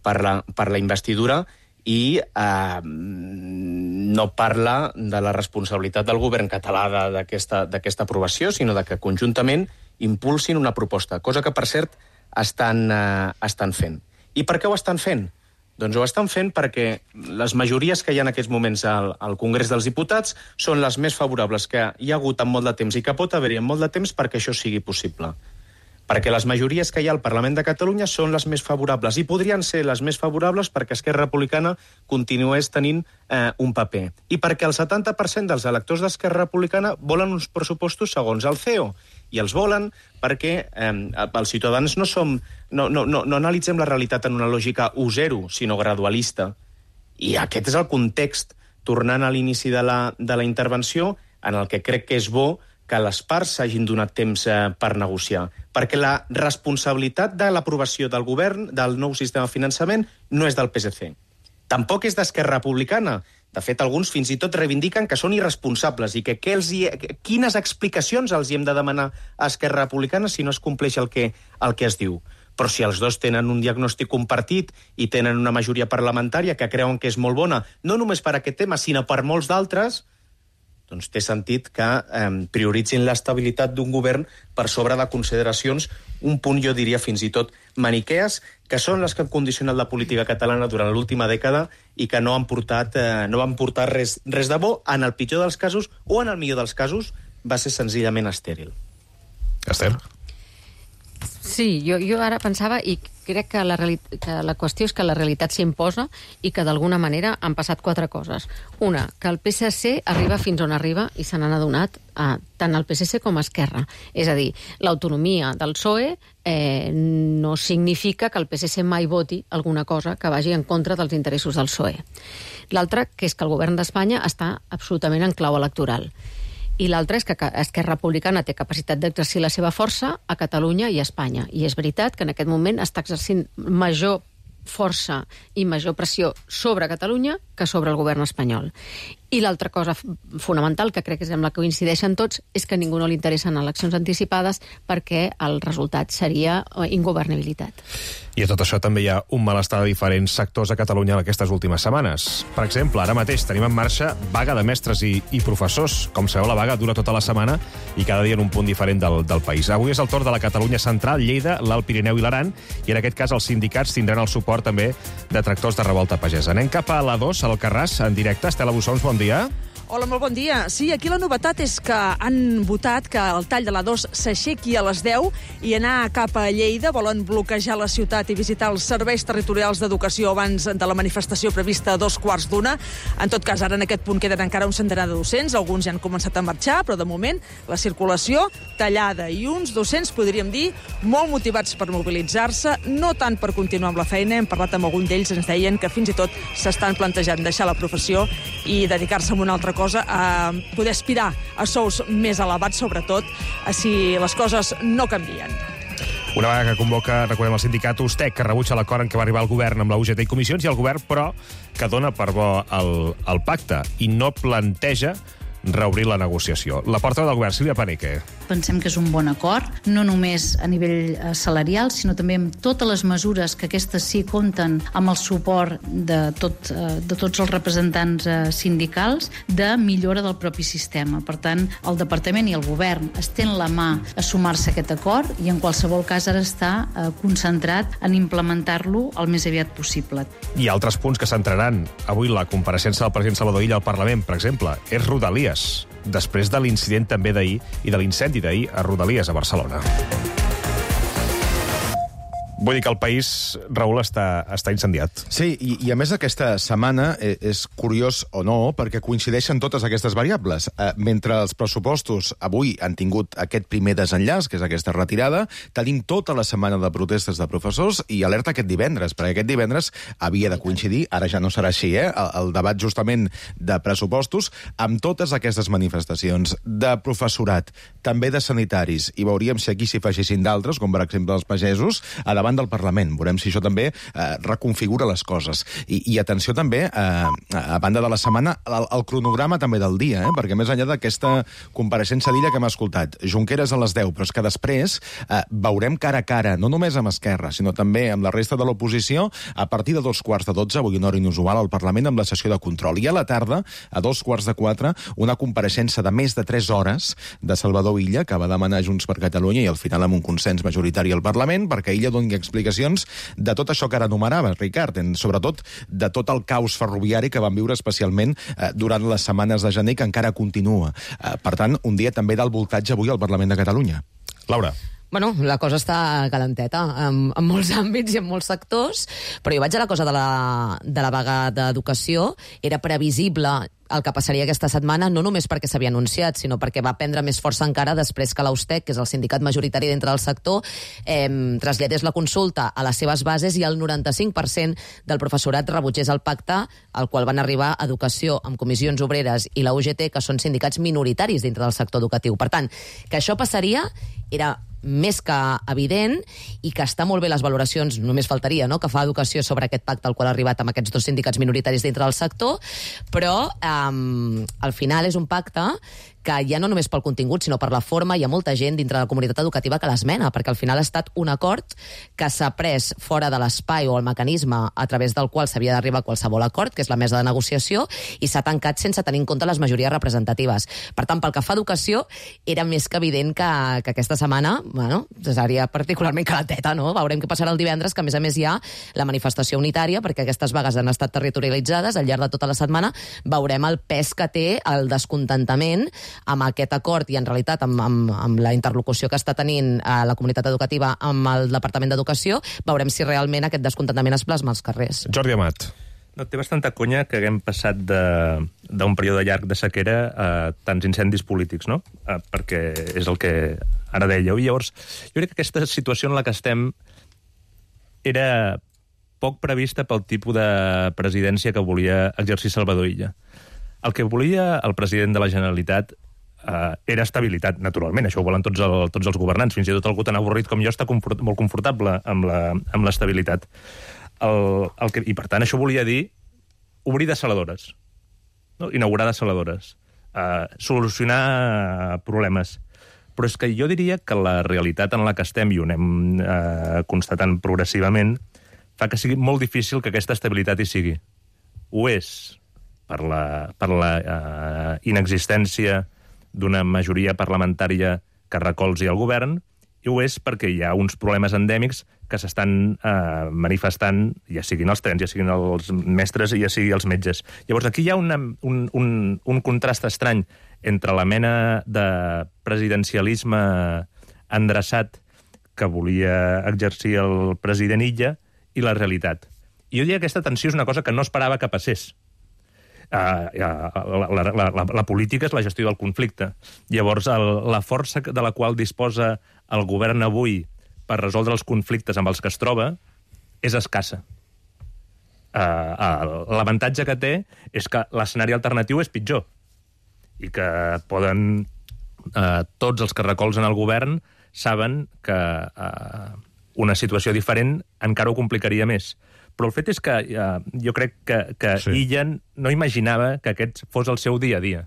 per la, per la investidura, i eh, no parla de la responsabilitat del govern català d'aquesta aprovació, sinó de que conjuntament impulsin una proposta, cosa que, per cert, estan, eh, estan fent. I per què ho estan fent? Doncs ho estan fent perquè les majories que hi ha en aquests moments al, al Congrés dels Diputats són les més favorables que hi ha hagut en molt de temps i que pot haver-hi en molt de temps perquè això sigui possible. Perquè les majories que hi ha al Parlament de Catalunya són les més favorables i podrien ser les més favorables perquè Esquerra Republicana continués tenint eh, un paper. I perquè el setanta per cent dels electors d'Esquerra Republicana volen uns pressupostos segons el C E O. I els volen perquè eh, els ciutadans no som... No, no, no, no analitzem la realitat en una lògica u zero, sinó gradualista. I aquest és el context, tornant a l'inici de, la, de la intervenció, en el que crec que és bo que les parts s'hagin donat temps eh, per negociar. Perquè la responsabilitat de l'aprovació del govern del nou sistema de finançament no és del P S C. Tampoc és d'Esquerra Republicana. De fet, alguns fins i tot reivindiquen que són irresponsables i que, que els hi, quines explicacions els hi hem de demanar a Esquerra Republicana si no es compleix el que, el que es diu. Però si els dos tenen un diagnòstic compartit i tenen una majoria parlamentària que creuen que és molt bona, no només per aquest tema, sinó per molts d'altres, doncs té sentit que eh, prioritzin l'estabilitat d'un govern per sobre de consideracions, un punt, jo diria, fins i tot maniquees, que són les que han condicionat la política catalana durant l'última dècada i que no han portat, eh, no han portat res, res de bo. En el pitjor dels casos, o en el millor dels casos, va ser senzillament estèril. Esther? Sí, jo, jo ara pensava, i crec que la, que la qüestió és que la realitat s'imposa i que d'alguna manera han passat quatre coses. Una, que el P S C arriba fins on arriba i se n'han adonat a, tant el P S C com a Esquerra. És a dir, l'autonomia del P S O E eh, no significa que el P S C mai voti alguna cosa que vagi en contra dels interessos del P S O E. L'altra, que és que el govern d'Espanya està absolutament en clau electoral. I l'altre és que Esquerra Republicana té capacitat d'exercir la seva força a Catalunya i a Espanya. I és veritat que en aquest moment està exercint major força i major pressió sobre Catalunya que sobre el govern espanyol. I l'altra cosa fonamental, que crec que és amb la que coincideixen tots, és que a ningú no li interessen eleccions anticipades perquè el resultat seria ingovernabilitat. I a tot això també hi ha un malestar de diferents sectors a Catalunya en aquestes últimes setmanes. Per exemple, ara mateix tenim en marxa vaga de mestres i, i professors. Com sabeu, la vaga dura tota la setmana i cada dia en un punt diferent del, del país. Avui és el torn de la Catalunya Central, Lleida, l'Alt Pirineu i l'Aran, i en aquest cas els sindicats tindran el suport també de tractors de revolta pagesa. Anem cap a l'A dos, al Carràs, en directe. Estela Bussons, bon dia. Hola, molt bon dia. Sí, aquí la novetat és que han votat que el tall de l'A dos s'aixequi a les deu i anar cap a Lleida. Volen bloquejar la ciutat i visitar els serveis territorials d'educació abans de la manifestació prevista a dos quarts d'una. En tot cas, ara en aquest punt queden encara un centenar de docents. Alguns ja han començat a marxar, però de moment la circulació tallada i uns docents, podríem dir, molt motivats per mobilitzar-se, no tant per continuar amb la feina. Hem parlat amb algun d'ells, ens deien que fins i tot s'estan plantejant deixar la professió i dedicar-se a una altra cosa, a poder aspirar a sous més elevats, sobretot si les coses no canvien. Una vaga que convoca, recordem, el sindicat Ustec, que rebutja l'acord en què va arribar el govern amb la U G T i comissions, i el govern, però, que dona per bo el, el pacte i no planteja reobrir la negociació. La portaveu del govern, Sílvia Paneque. Pensem que és un bon acord, no només a nivell salarial, sinó també amb totes les mesures que aquestes sí compten amb el suport de, tot, de tots els representants sindicals de millora del propi sistema. Per tant, el departament i el govern estén la mà a sumar-se a aquest acord i en qualsevol cas ara està concentrat en implementar-lo el més aviat possible. I altres punts que centraran avui la compareixença del president Salvador Illa al Parlament, per exemple, és Rodalies, després de l'incident també d'ahir i de l'incendi d'ahir a Rodalies, a Barcelona. Vull dir que el país, Raül, està, està incendiat. Sí, i, i a més aquesta setmana és curiós o no, perquè coincideixen totes aquestes variables. Eh, mentre els pressupostos avui han tingut aquest primer desenllaç, que és aquesta retirada, tenim tota la setmana de protestes de professors i alerta aquest divendres, perquè aquest divendres havia de coincidir, ara ja no serà així, eh, el, el debat justament de pressupostos, amb totes aquestes manifestacions de professorat, també de sanitaris, i veuríem si aquí s'hi afegissin d'altres, com per exemple els pagesos, a davant del Parlament. Veurem si això també eh, reconfigura les coses. I, i atenció també, eh, a banda de la setmana, el, el cronograma també del dia, eh, perquè més enllà d'aquesta compareixença d'Illa que hem escoltat, Junqueras a les deu, però és que després eh, veurem cara a cara, no només amb Esquerra, sinó també amb la resta de l'oposició, a partir de dos quarts de dotze, avui una hora inusual al Parlament amb la sessió de control. I a la tarda, a dos quarts de quatre, una compareixença de més de tres hores de Salvador Illa, que va demanar Junts per Catalunya i al final amb un consens majoritari al Parlament, perquè Illa doni explicacions de tot això que ara enumerava, Ricard, sobretot de tot el caos ferroviari que vam viure especialment eh, durant les setmanes de gener, que encara continua. Eh, per tant, un dia també del voltatge avui al Parlament de Catalunya. Laura. Bueno, la cosa està calenteta en, en molts àmbits i en molts sectors, però jo vaig a la cosa de la, de la vaga d'educació. Era previsible el que passaria aquesta setmana, no només perquè s'havia anunciat, sinó perquè va prendre més força encara després que l'Austec, que és el sindicat majoritari dintre del sector, eh, traslladés la consulta a les seves bases i el noranta-cinc per cent del professorat rebutgés el pacte al qual van arribar Educació amb Comissions Obreres i la U G T, que són sindicats minoritaris dintre del sector educatiu. Per tant, que això passaria era més que evident i que està molt bé les valoracions, només faltaria, no?, que fa Educació sobre aquest pacte al qual ha arribat amb aquests dos sindicats minoritaris dintre del sector, però eh, al final és un pacte que ja no només pel contingut, sinó per la forma, hi ha molta gent dintre de la comunitat educativa que l'esmena, perquè al final ha estat un acord que s'ha pres fora de l'espai o el mecanisme a través del qual s'havia d'arribar a qualsevol acord, que és la mesa de negociació, i s'ha tancat sense tenir en compte les majories representatives. Per tant, pel que fa a educació, era més que evident que, que aquesta setmana, bueno, seria particularment calenteta, no? Veurem què passarà el divendres, que a més a més hi ha la manifestació unitària, perquè aquestes vagues han estat territorialitzades al llarg de tota la setmana. Veurem el pes que té el descontentament amb aquest acord i, en realitat, amb, amb, amb la interlocució que està tenint a la comunitat educativa amb el Departament d'Educació. Veurem si realment aquest descontentament es plasma als carrers. Jordi Amat. No, té bastanta conya que haguem passat d'un període llarg de sequera a tants incendis polítics, no? Eh, perquè és el que ara dèieu. I llavors, jo crec que aquesta situació en la que estem era poc prevista pel tipus de presidència que volia exercir Salvador Illa. El que volia el president de la Generalitat Uh, era estabilitat, naturalment. Això ho volen tots, el, tots els governants. Fins i tot algú tan avorrit com jo està confort, molt confortable amb la, amb l'estabilitat. El, el que, I, per tant, això volia dir obrir desaladores, no? Inaugurar desaladores, uh, solucionar problemes. Però és que jo diria que la realitat en la que estem, i ho anem uh, constatant progressivament, fa que sigui molt difícil que aquesta estabilitat hi sigui. Ho és per la, per la uh, inexistència d'una majoria parlamentària que recolzi el govern, i ho és perquè hi ha uns problemes endèmics que s'estan eh, manifestant, ja siguin els trens, ja siguin els mestres i ja siguin els metges. Llavors, aquí hi ha una, un, un, un contrast estrany entre la mena de presidencialisme endreçat que volia exercir el president Illa i la realitat. I jo diria que aquesta tensió és una cosa que no esperava que passés. Uh, uh, la, la, la, la, la política és la gestió del conflicte. Llavors, el, la força de la qual disposa el govern avui per resoldre els conflictes amb els que es troba és escassa. Uh, uh, L'avantatge que té és que l'escenari alternatiu és pitjor i que poden... Uh, tots els que recolzen el govern saben que uh, una situació diferent encara ho complicaria més. Però el fet és que uh, jo crec que, que sí. Illa no imaginava que aquest fos el seu dia a dia.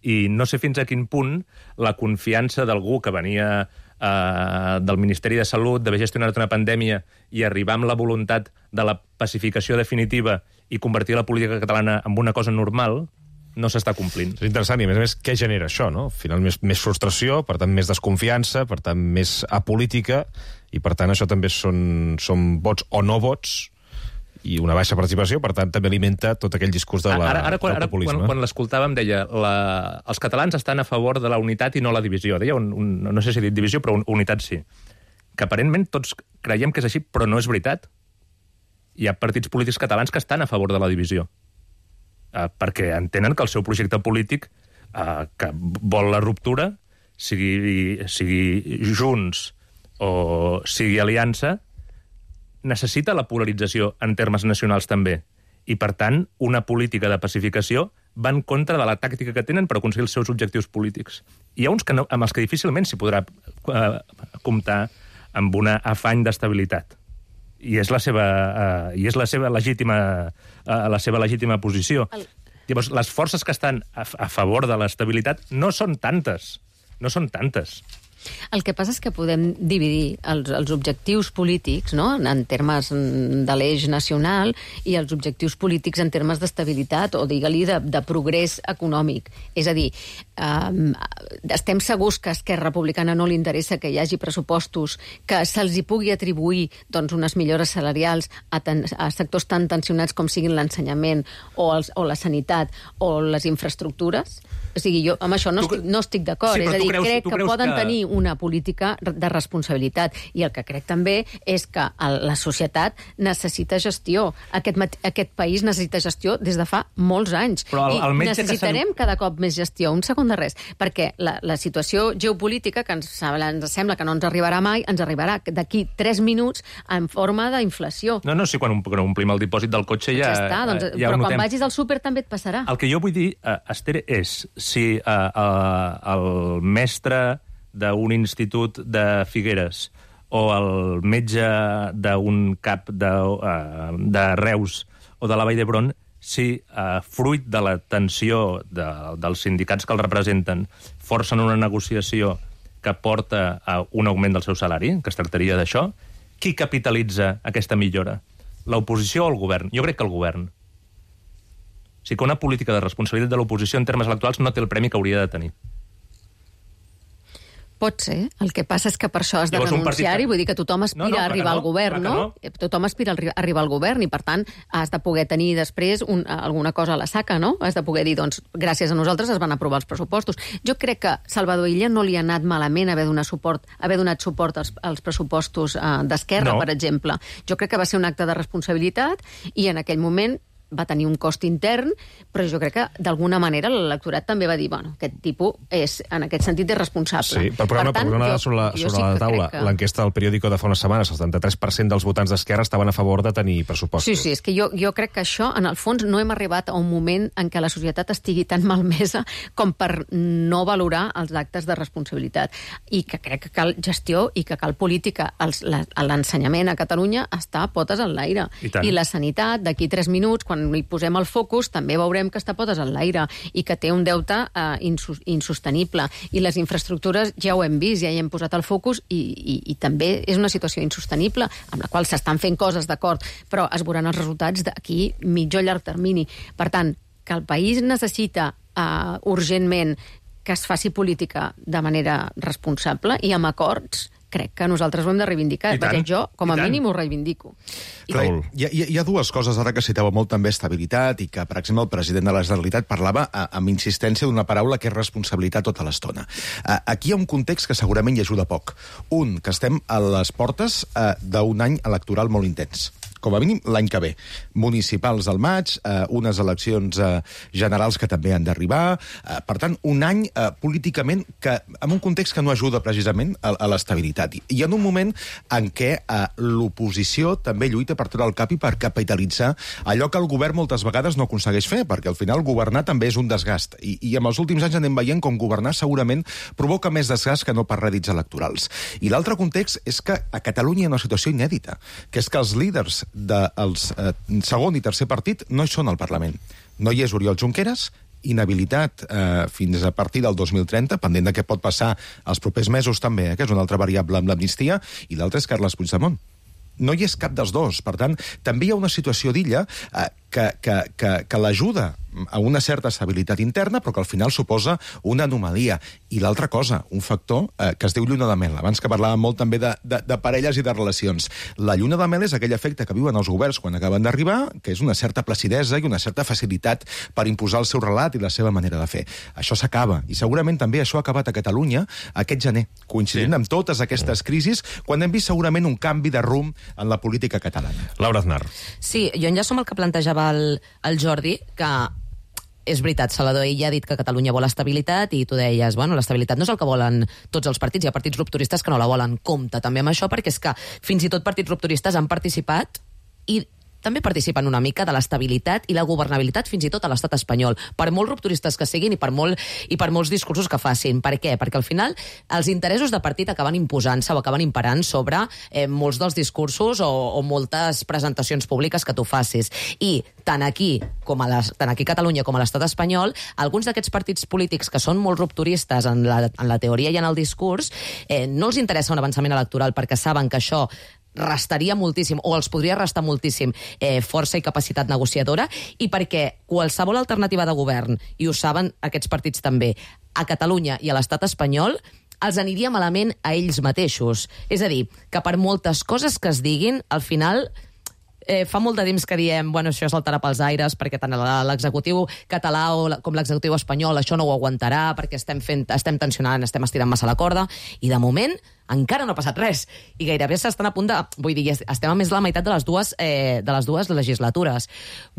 I no sé fins a quin punt la confiança d'algú que venia uh, del Ministeri de Salut, d'haver gestionat una pandèmia i arribar amb la voluntat de la pacificació definitiva i convertir la política catalana en una cosa normal, no s'està complint. És interessant, i a més a més, què genera això, no? Al final, més, més frustració, per tant, més desconfiança, per tant, més apolítica, i per tant, això també són, són vots o no vots, i una baixa participació, per tant, també alimenta tot aquell discurs de la, ara, ara, quan, del populisme. Ara, quan, quan l'escoltàvem, deia la, els catalans estan a favor de la unitat i no la divisió. Deia, un, un, no sé si he dit divisió, però un, unitat sí. que aparentment tots creiem que és així, però no és veritat. Hi ha partits polítics catalans que estan a favor de la divisió, eh, perquè entenen que el seu projecte polític, eh, que vol la ruptura, sigui, sigui Junts o sigui Aliança, necessita la polarització en termes nacionals també. I, per tant, una política de pacificació va en contra de la tàctica que tenen per aconseguir els seus objectius polítics. Hi ha uns que no, amb els que difícilment s'hi podrà eh, comptar amb un afany d'estabilitat. I és la seva, eh, i és la seva legítima, eh, la seva legítima posició. El... Llavors, les forces que estan a, a favor de l'estabilitat no són tantes. No són tantes. El que passa és que podem dividir els, els objectius polítics, no?, en termes de l'eix nacional, i els objectius polítics en termes d'estabilitat o, digue-li, de, de progrés econòmic. És a dir, eh, estem segurs que a Esquerra Republicana no li interessa que hi hagi pressupostos que se'ls hi pugui atribuir, doncs, unes millores salarials a, ten, a sectors tan tensionats com siguin l'ensenyament o, els, o la sanitat o les infraestructures? O sigui, jo amb això no, tu, estic, no estic d'acord. Sí, és a dir, creus, crec que poden que... tenir una política de responsabilitat. I el que crec també és que el, la societat necessita gestió. Aquest, aquest país necessita gestió des de fa molts anys. Però el, el I necessitarem que cada cop més gestió. Un segon de res. Perquè la, la situació geopolítica, que ens, ens sembla que no ens arribarà mai, ens arribarà d'aquí tres minuts en forma d'inflació. No, no, sí, quan, quan omplim el dipòsit del cotxe ja... Ja està, doncs, ja però quan notem. vagis al súper també et passarà. El que jo vull dir, uh, Esther, és si uh, uh, el mestre d'un institut de Figueres o el metge d'un cap de, uh, de Reus o de la Vall d'Hebron, si uh, fruit de la tensió de, dels sindicats que els representen forcen una negociació que porta a un augment del seu salari, que es tractaria d'això, qui capitalitza aquesta millora? L'oposició o el govern? Jo crec que el govern. O sigui que una política de responsabilitat de l'oposició en termes electorals no té el premi que hauria de tenir. Pot ser. El que passa és que per això has de renunciar-hi, que... vull dir que tothom aspira no, no, a arribar no, al govern, no? no? Tothom aspira a arribar al govern i, per tant, has de poder tenir després un, alguna cosa a la saca, no? Has de poder dir, doncs, gràcies a nosaltres es van aprovar els pressupostos. Jo crec que Salvador Illa no li ha anat malament haver donat suport, haver donat suport als, als pressupostos eh, d'Esquerra, no. per exemple. Jo crec que va ser un acte de responsabilitat i en aquell moment va tenir un cost intern, però jo crec que d'alguna manera l'electorat també va dir, bueno, aquest tipus és, en aquest sentit, és responsable. Sí, per posar una dada sobre la, sobre sí la taula, que... l'enquesta del periòdico de fa unes setmanes, el setanta-tres per cent dels votants d'Esquerra estaven a favor de tenir pressupostos. Sí, sí, és que jo, jo crec que això, en el fons, no hem arribat a un moment en què la societat estigui tan malmesa com per no valorar els actes de responsabilitat. I que crec que cal gestió i que cal política. L'ensenyament a Catalunya està a potes en l'aire. I, I la sanitat, d'aquí tres minuts, quan hi posem el focus, també veurem que està potes en l'aire i que té un deute eh, insostenible. I les infraestructures ja ho hem vist, ja hi hem posat el focus i, i, i també és una situació insostenible, amb la qual s'estan fent coses, d'acord, però es veuran els resultats d'aquí mitjà o llarg termini. Per tant, que el país necessita eh, urgentment que es faci política de manera responsable i amb acords, crec que nosaltres ho hem de reivindicar. Vaja, jo, com a mínim, ho reivindico. Clar, hi, ha, hi ha dues coses ara que citava molt també estabilitat i que, per exemple, el president de la Generalitat parlava a, amb insistència d'una paraula que és responsabilitat tota l'estona. Uh, aquí hi ha un context que segurament hi ajuda poc. Un, que estem a les portes uh, d'un any electoral molt intens. Com a mínim l'any que ve. Municipals al maig, eh, unes eleccions eh, generals que també han d'arribar. Eh, per tant, un any eh, políticament que, en un context que no ajuda precisament a, a l'estabilitat. I en un moment en què eh, l'oposició també lluita per treure el cap i per capitalitzar allò que el govern moltes vegades no aconsegueix fer, perquè al final governar també és un desgast. I, i en els últims anys anem veient com governar segurament provoca més desgast que no per rèdits electorals. I l'altre context és que a Catalunya hi ha una situació inèdita, que és que els líders dels eh, segon i tercer partit no hi són al Parlament. No hi és Oriol Junqueras, inhabilitat eh, fins a partir del dos mil trenta, pendent de què pot passar els propers mesos també, eh, que és una altra variable amb l'amnistia, i l'altre és Carles Puigdemont. No hi és cap dels dos. Per tant, també hi ha una situació d'Illa eh, que, que, que, que l'ajuda a una certa estabilitat interna, però que al final suposa una anomalia. I l'altra cosa, un factor eh, que es diu lluna de mel. Abans que parlàvem molt també de, de, de parelles i de relacions. La lluna de mel és aquell efecte que viuen els governs quan acaben d'arribar, que és una certa placidesa i una certa facilitat per imposar el seu relat i la seva manera de fer. Això s'acaba, i segurament també això ha acabat a Catalunya aquest gener, coincidint sí. amb totes aquestes crisis, quan hem vist segurament un canvi de rumb en la política catalana. Laura Aznar. Sí, jo enllaço amb el que plantejava el, el Jordi, que és veritat, Salvador Illa ha dit que Catalunya vol estabilitat i tu deies, bueno, l'estabilitat no és el que volen tots els partits, hi ha partits rupturistes que no la volen. Compte també amb això, perquè és que fins i tot partits rupturistes han participat i també participen una mica de l'estabilitat i la governabilitat fins i tot a l'estat espanyol, per molt rupturistes que siguin i per, molt, i per molts discursos que facin. Per què? Perquè al final els interessos de partit acaben imposant-se o acaben imperant sobre eh, molts dels discursos o, o moltes presentacions públiques que tu facis. I tant aquí, com a les, tant aquí a Catalunya com a l'estat espanyol, alguns d'aquests partits polítics que són molt rupturistes en la, en la teoria i en el discurs, eh, no els interessa un avançament electoral perquè saben que això restaria moltíssim, o els podria restar moltíssim eh, força i capacitat negociadora, i perquè qualsevol alternativa de govern, i ho saben aquests partits també, a Catalunya i a l'estat espanyol, els aniria malament a ells mateixos. És a dir, que per moltes coses que es diguin, al final Eh, fa molt de temps que diem, bueno, això saltarà pels aires perquè tant l'executiu català o la, com l'executiu espanyol això no ho aguantarà perquè estem, fent, estem tensionant, estem estirant massa la corda, i de moment encara no ha passat res, i gairebé s'estan a punt de... Vull dir, estem a més de la meitat de les dues, eh, de les dues legislatures.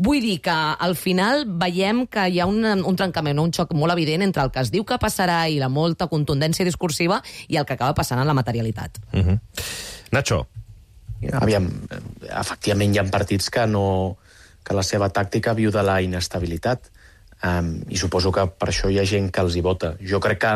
Vull dir que al final veiem que hi ha un, un trencament, un xoc molt evident entre el que es diu que passarà i la molta contundència discursiva i el que acaba passant en la materialitat. Uh-huh. Nacho. Aviam, efectivament hi ha partits que no que la seva tàctica viu de la inestabilitat, um, i suposo que per això hi ha gent que els hi vota. Jo crec que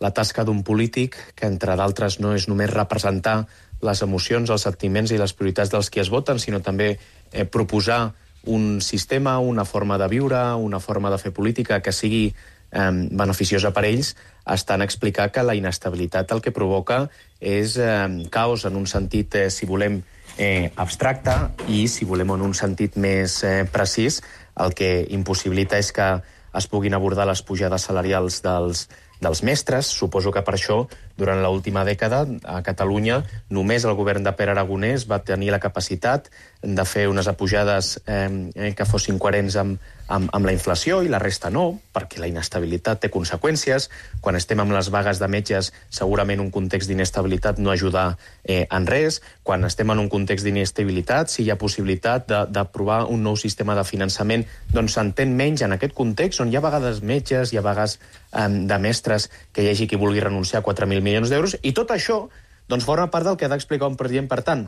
la tasca d'un polític, que entre d'altres no és només representar les emocions, els sentiments i les prioritats dels qui es voten, sinó també eh, proposar un sistema, una forma de viure, una forma de fer política que sigui eh, beneficiosa per ells, està en explicar que la inestabilitat el que provoca és eh, caos en un sentit, eh, si volem, eh, abstracte, i si volem en un sentit més eh, precís, el que impossibilita és que es puguin abordar les pujades salarials dels, dels mestres. Suposo que per això, durant l'última dècada, a Catalunya, només el govern de Pere Aragonès va tenir la capacitat de fer unes apujades eh, que fossin coherents amb, amb, amb la inflació, i la resta no, perquè la inestabilitat té conseqüències. Quan estem amb les vagues de metges, segurament un context d'inestabilitat no ajuda eh, en res. Quan estem en un context d'inestabilitat, si hi ha possibilitat d'aprovar un nou sistema de finançament, doncs s'entén menys en aquest context, on hi ha a vegades metges, hi ha vegades eh, de mestres, que hi hagi qui vulgui renunciar a quatre mil milions d'euros, i tot això doncs, forma part del que ha d'explicar un president. Per tant,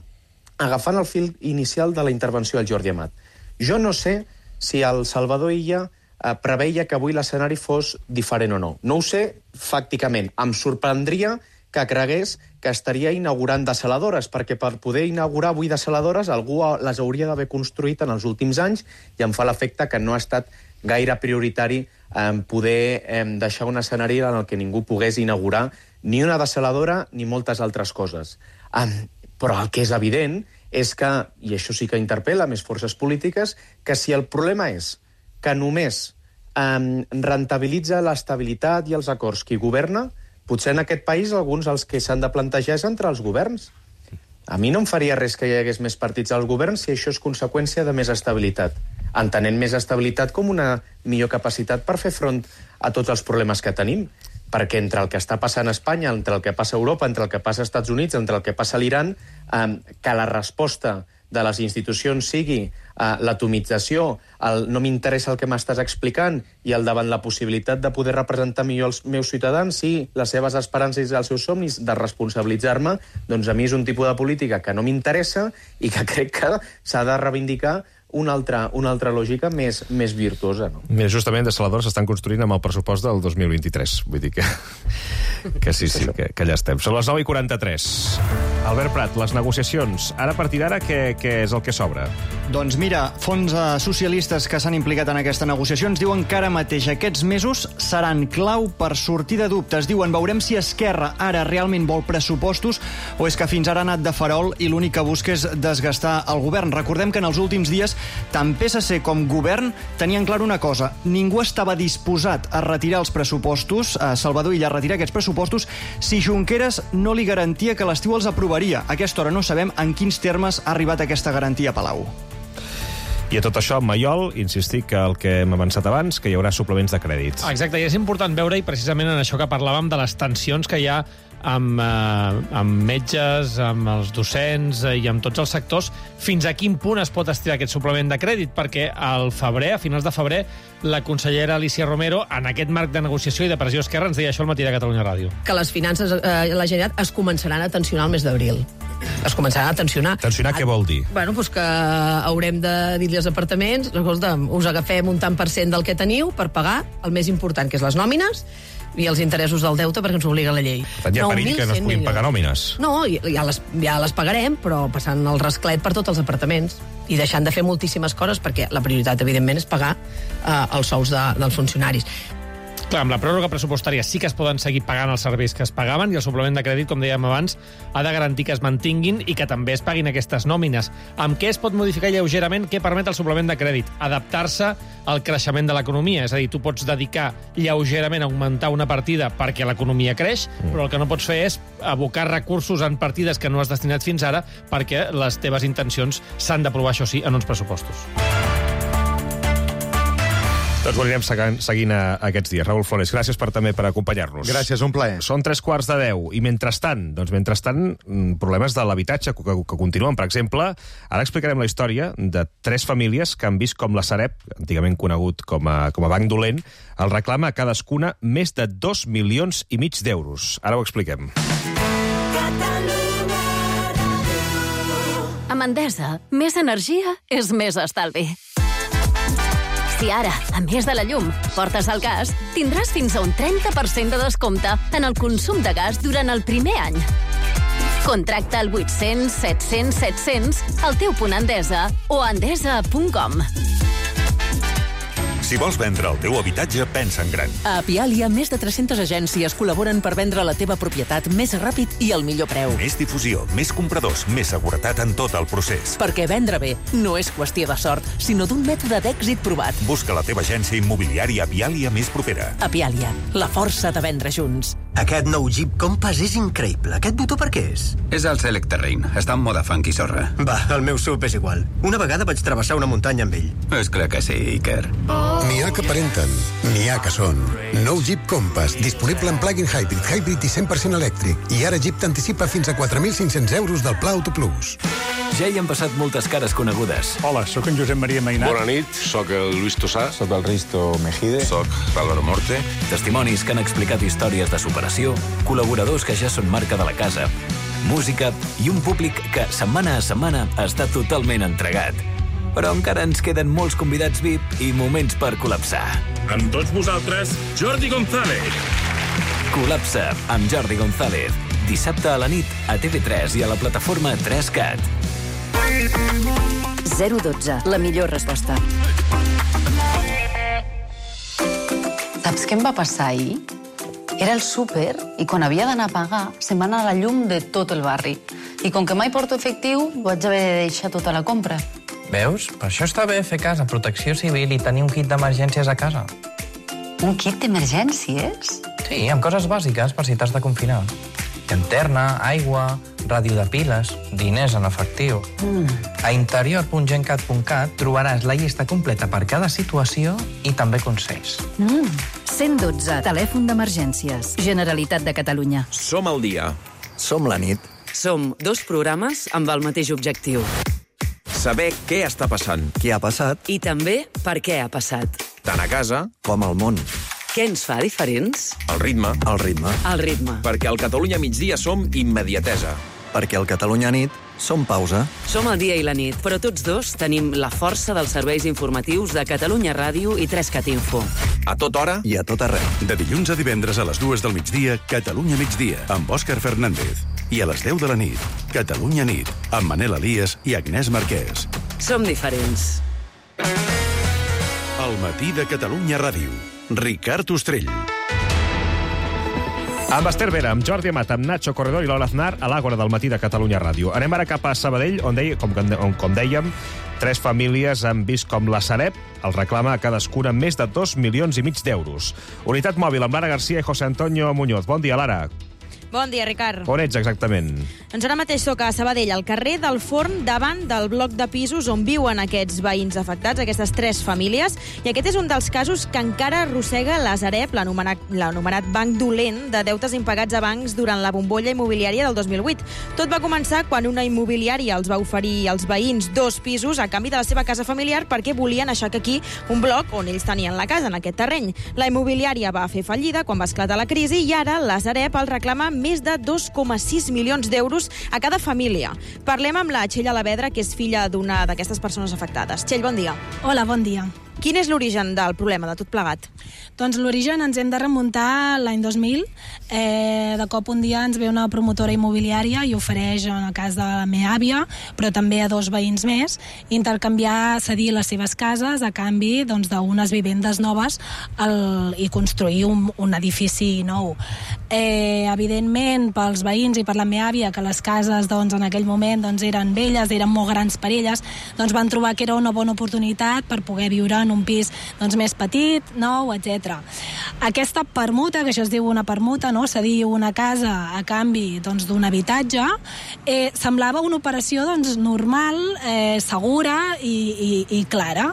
agafant el fil inicial de la intervenció del Jordi Amat, jo no sé si el Salvador Illa eh, preveia que avui l'escenari fos diferent o no. No ho sé, fàcticament. Em sorprendria que cregués que estaria inaugurant desaladores, perquè per poder inaugurar avui desaladores algú les hauria d'haver construït en els últims anys, i em fa l'efecte que no ha estat gaire prioritari eh, poder eh, deixar un escenari en el que ningú pogués inaugurar ni una desaladora ni moltes altres coses. Eh, però el que és evident és que, i això sí que interpel·la més forces polítiques, que si el problema és que només eh, rentabilitza l'estabilitat i els acords qui governa, potser en aquest país alguns els que s'han de plantejar és entre els governs. A mi no em faria res que hi hagués més partits al govern si això és conseqüència de més estabilitat, entenent més estabilitat com una millor capacitat per fer front a tots els problemes que tenim, perquè entre el que està passant a Espanya, entre el que passa a Europa, entre el que passa als Estats Units, entre el que passa a l'Iran, eh, que la resposta de les institucions sigui eh, l'atomització, el no m'interessa el que m'estàs explicant, i el davant la possibilitat de poder representar millor els meus ciutadans i les seves esperances i els seus somnis, de responsabilitzar-me, doncs a mi és un tipus de política que no m'interessa i que crec que s'ha de reivindicar una altra, una altra lògica més, més virtuosa. No? Mira, justament desaladores s'estan construint amb el pressupost del dos mil vint-i-tres. Vull dir que, que sí, sí, que, que allà estem. Són les nou i quaranta-tres. Albert Prat, les negociacions, ara a partir d'ara, què, què és el que s'obre? Doncs mira, fons eh, socialistes que s'han implicat en aquesta negociació ens diuen que ara mateix aquests mesos seran clau per sortir de dubtes. Diuen, veurem si Esquerra ara realment vol pressupostos o és que fins ara ha anat de farol i l'únic que busca és desgastar el govern. Recordem que en els últims dies tant P S C com govern tenien clar una cosa. Ningú estava disposat a retirar els pressupostos, a Salvador Illa a retirar aquests pressupostos, si Junqueras no li garantia que l'estiu els aprovaria. A aquesta hora no sabem en quins termes ha arribat aquesta garantia a Palau. I a tot això, Maiol, insistir que el que hem avançat abans, que hi haurà suplements de crèdits. Exacte, i és important veure-hi precisament en això que parlàvem de les tensions que hi ha amb, eh, amb metges, amb els docents eh, i amb tots els sectors, fins a quin punt es pot estirar aquest suplement de crèdit, perquè al febrer, a finals de febrer, la consellera Alicia Romero, en aquest marc de negociació i de pressió esquerra, ens deia això al matí de Catalunya Ràdio. Que les finances, eh, la Generalitat, es començaran a tensionar el mes d'abril. Es començaran a tensionar. Tensionar què vol dir? Bueno, doncs que haurem de dir-li als apartaments, escolta, us agafem un tant per cent del que teniu per pagar el més important, que és les nòmines, i els interessos del deute, perquè ens obliga la llei. Per tant, hi ha perill que no es puguin pagar nòmines. No, ja les, ja les pagarem, però passant el rasclet per tots els apartaments i deixant de fer moltíssimes coses, perquè la prioritat, evidentment, és pagar eh, els sous de, dels funcionaris. Clar, amb la pròrroga pressupostària sí que es poden seguir pagant els serveis que es pagaven i el suplement de crèdit, com dèiem abans, ha de garantir que es mantinguin i que també es paguin aquestes nòmines. Amb què es pot modificar lleugerament? Què permet el suplement de crèdit? Adaptar-se al creixement de l'economia. És a dir, tu pots dedicar lleugerament a augmentar una partida perquè l'economia creix, mm. però el que no pots fer és abocar recursos en partides que no has destinat fins ara perquè les teves intencions s'han d'aprovar, això sí, en uns pressupostos. Doncs ho anirem seguint aquests dies. Raül Flores, gràcies per també per acompanyar-nos. Gràcies, un plaer. Són tres quarts de deu. I mentrestant, doncs mentrestant, problemes de l'habitatge que, que continuen. Per exemple, ara explicarem la història de tres famílies que han vist com la Sareb, antigament conegut com a, com a banc dolent, el reclama a cadascuna més de dos milions i mig d'euros. Ara ho expliquem. Amb Endesa, més energia és més estalvi. Si ara, a més de la llum, portes el gas, tindràs fins a un trenta per cent de descompte en el consum de gas durant el primer any. Contracta al vuit-cents set-cents set-cents al teu punt Endesa o a endesa punt com. Si vols vendre el teu habitatge, pensa en gran. A Apialia, més de tres-centes agències col·laboren per vendre la teva propietat més ràpid i al millor preu. Més difusió, més compradors, més seguretat en tot el procés. Perquè vendre bé no és qüestió de sort, sinó d'un mètode d'èxit provat. Busca la teva agència immobiliària Apialia més propera. Apialia, la força de vendre junts. Aquest nou Jeep Compass és increïble. Aquest botó per què és? És el Select Terrain. Està en moda funky sorra. Va, el meu sub és igual. Una vegada vaig travessar una muntanya amb ell. És clar que sí, Iker. N'hi ha que aparenten, n'hi ha que són. Nou Jeep Compass, disponible en plug-in hybrid, hybrid i cent per cent elèctric. I ara Jeep t'anticipa fins a quatre mil cinc-cents euros del Pla Auto Plus. Ja hi han passat moltes cares conegudes. Hola, sóc en Josep Maria Mainat. Bona nit, sóc el Luis Tosà. Sóc el Risto Mejide. Sóc l'Álvaro Morte. Testimonis que han explicat històries de superació, col·laboradors que ja són marca de la casa, música i un públic que setmana a setmana està totalment entregat. Però encara ens queden molts convidats V I P i moments per col·lapsar. Amb tots vosaltres, Jordi González. Col·lapsa amb Jordi González. Dissabte a la nit a T V tres i a la plataforma tres cat. zero dotze, la millor resposta. Saps què em va passar ahir? Era el súper i quan havia d'anar a pagar se'n va anar la llum de tot el barri. I com que mai porto efectiu, vaig haver de deixar tota la compra. Veus? Per això està bé fer cas a Protecció Civil i tenir un kit d'emergències a casa. Un kit d'emergències? Sí, amb coses bàsiques per si t'has de confinar. Llanterna, aigua, ràdio de piles, diners en efectiu. Mm. A interior punt gencat punt cat trobaràs la llista completa per cada situació i també consells. Mm. cent dotze, telèfon d'emergències. Generalitat de Catalunya. Som al dia. Som la nit. Som dos programes amb el mateix objectiu. Saber què està passant. Què ha passat. I també per què ha passat. Tant a casa com al món. Què ens fa diferents? El ritme. El ritme. El ritme. Perquè al Catalunya migdia som immediatesa. Perquè al Catalunya nit som pausa. Som el dia i la nit, però tots dos tenim la força dels serveis informatius de Catalunya Ràdio i tres cat Info. A tota hora i a tot arreu. De dilluns a divendres a les dues del migdia, Catalunya migdia, amb Òscar Fernández. I a les deu de la nit, Catalunya nit, amb Manel Elias i Agnès Marquès. Som diferents. El matí de Catalunya Ràdio. Ricard Ostrell. Amb Esther Vera, amb Jordi Amat, amb Nacho Corredor i Lola Aznar a l'Àgora del matí de Catalunya Ràdio. Anem ara cap a Sabadell, on, deia, com, com dèiem, tres famílies han vist com la Sareb els reclama a cadascuna més de dos milions i mig d'euros. Unitat mòbil amb Lara García i José Antonio Muñoz. Bon dia, Lara. Bon dia, Ricard. On ets exactament? Doncs ara mateix soc a Sabadell, al carrer del Forn, davant del bloc de pisos on viuen aquests veïns afectats, aquestes tres famílies, i aquest és un dels casos que encara arrossega la Sareb, l'anomenat banc dolent de deutes impagats a bancs durant la bombolla immobiliària del dos mil vuit. Tot va començar quan una immobiliària els va oferir als veïns dos pisos a canvi de la seva casa familiar perquè volien aixecar aquí un bloc on ells tenien la casa, en aquest terreny. La immobiliària va fer fallida quan va esclatar la crisi i ara la Sareb els reclama més de dos coma sis milions d'euros a cada família. Parlem amb la Txell Alavedra, que és filla d'una d'aquestes persones afectades. Txell, bon dia. Hola, bon dia. Quin és l'origen del problema, de tot plegat? Doncs l'origen ens hem de remuntar l'any dos mil. Eh, de cop un dia ens ve una promotora immobiliària i ofereix en el cas de la meva àvia, però també a dos veïns més, intercanviar, cedir les seves cases a canvi doncs, d'unes vivendes noves el, i construir un, un edifici nou. Eh, evidentment, pels veïns i per la meva àvia, que les cases doncs, en aquell moment doncs, eren velles, eren molt grans per elles, doncs van trobar que era una bona oportunitat per poder viure en un pis doncs, més petit, nou, etcètera. Aquesta permuta, que això es diu una permuta, no? Cedir una casa a canvi doncs, d'un habitatge, eh, semblava una operació doncs, normal, eh, segura i, i, i clara.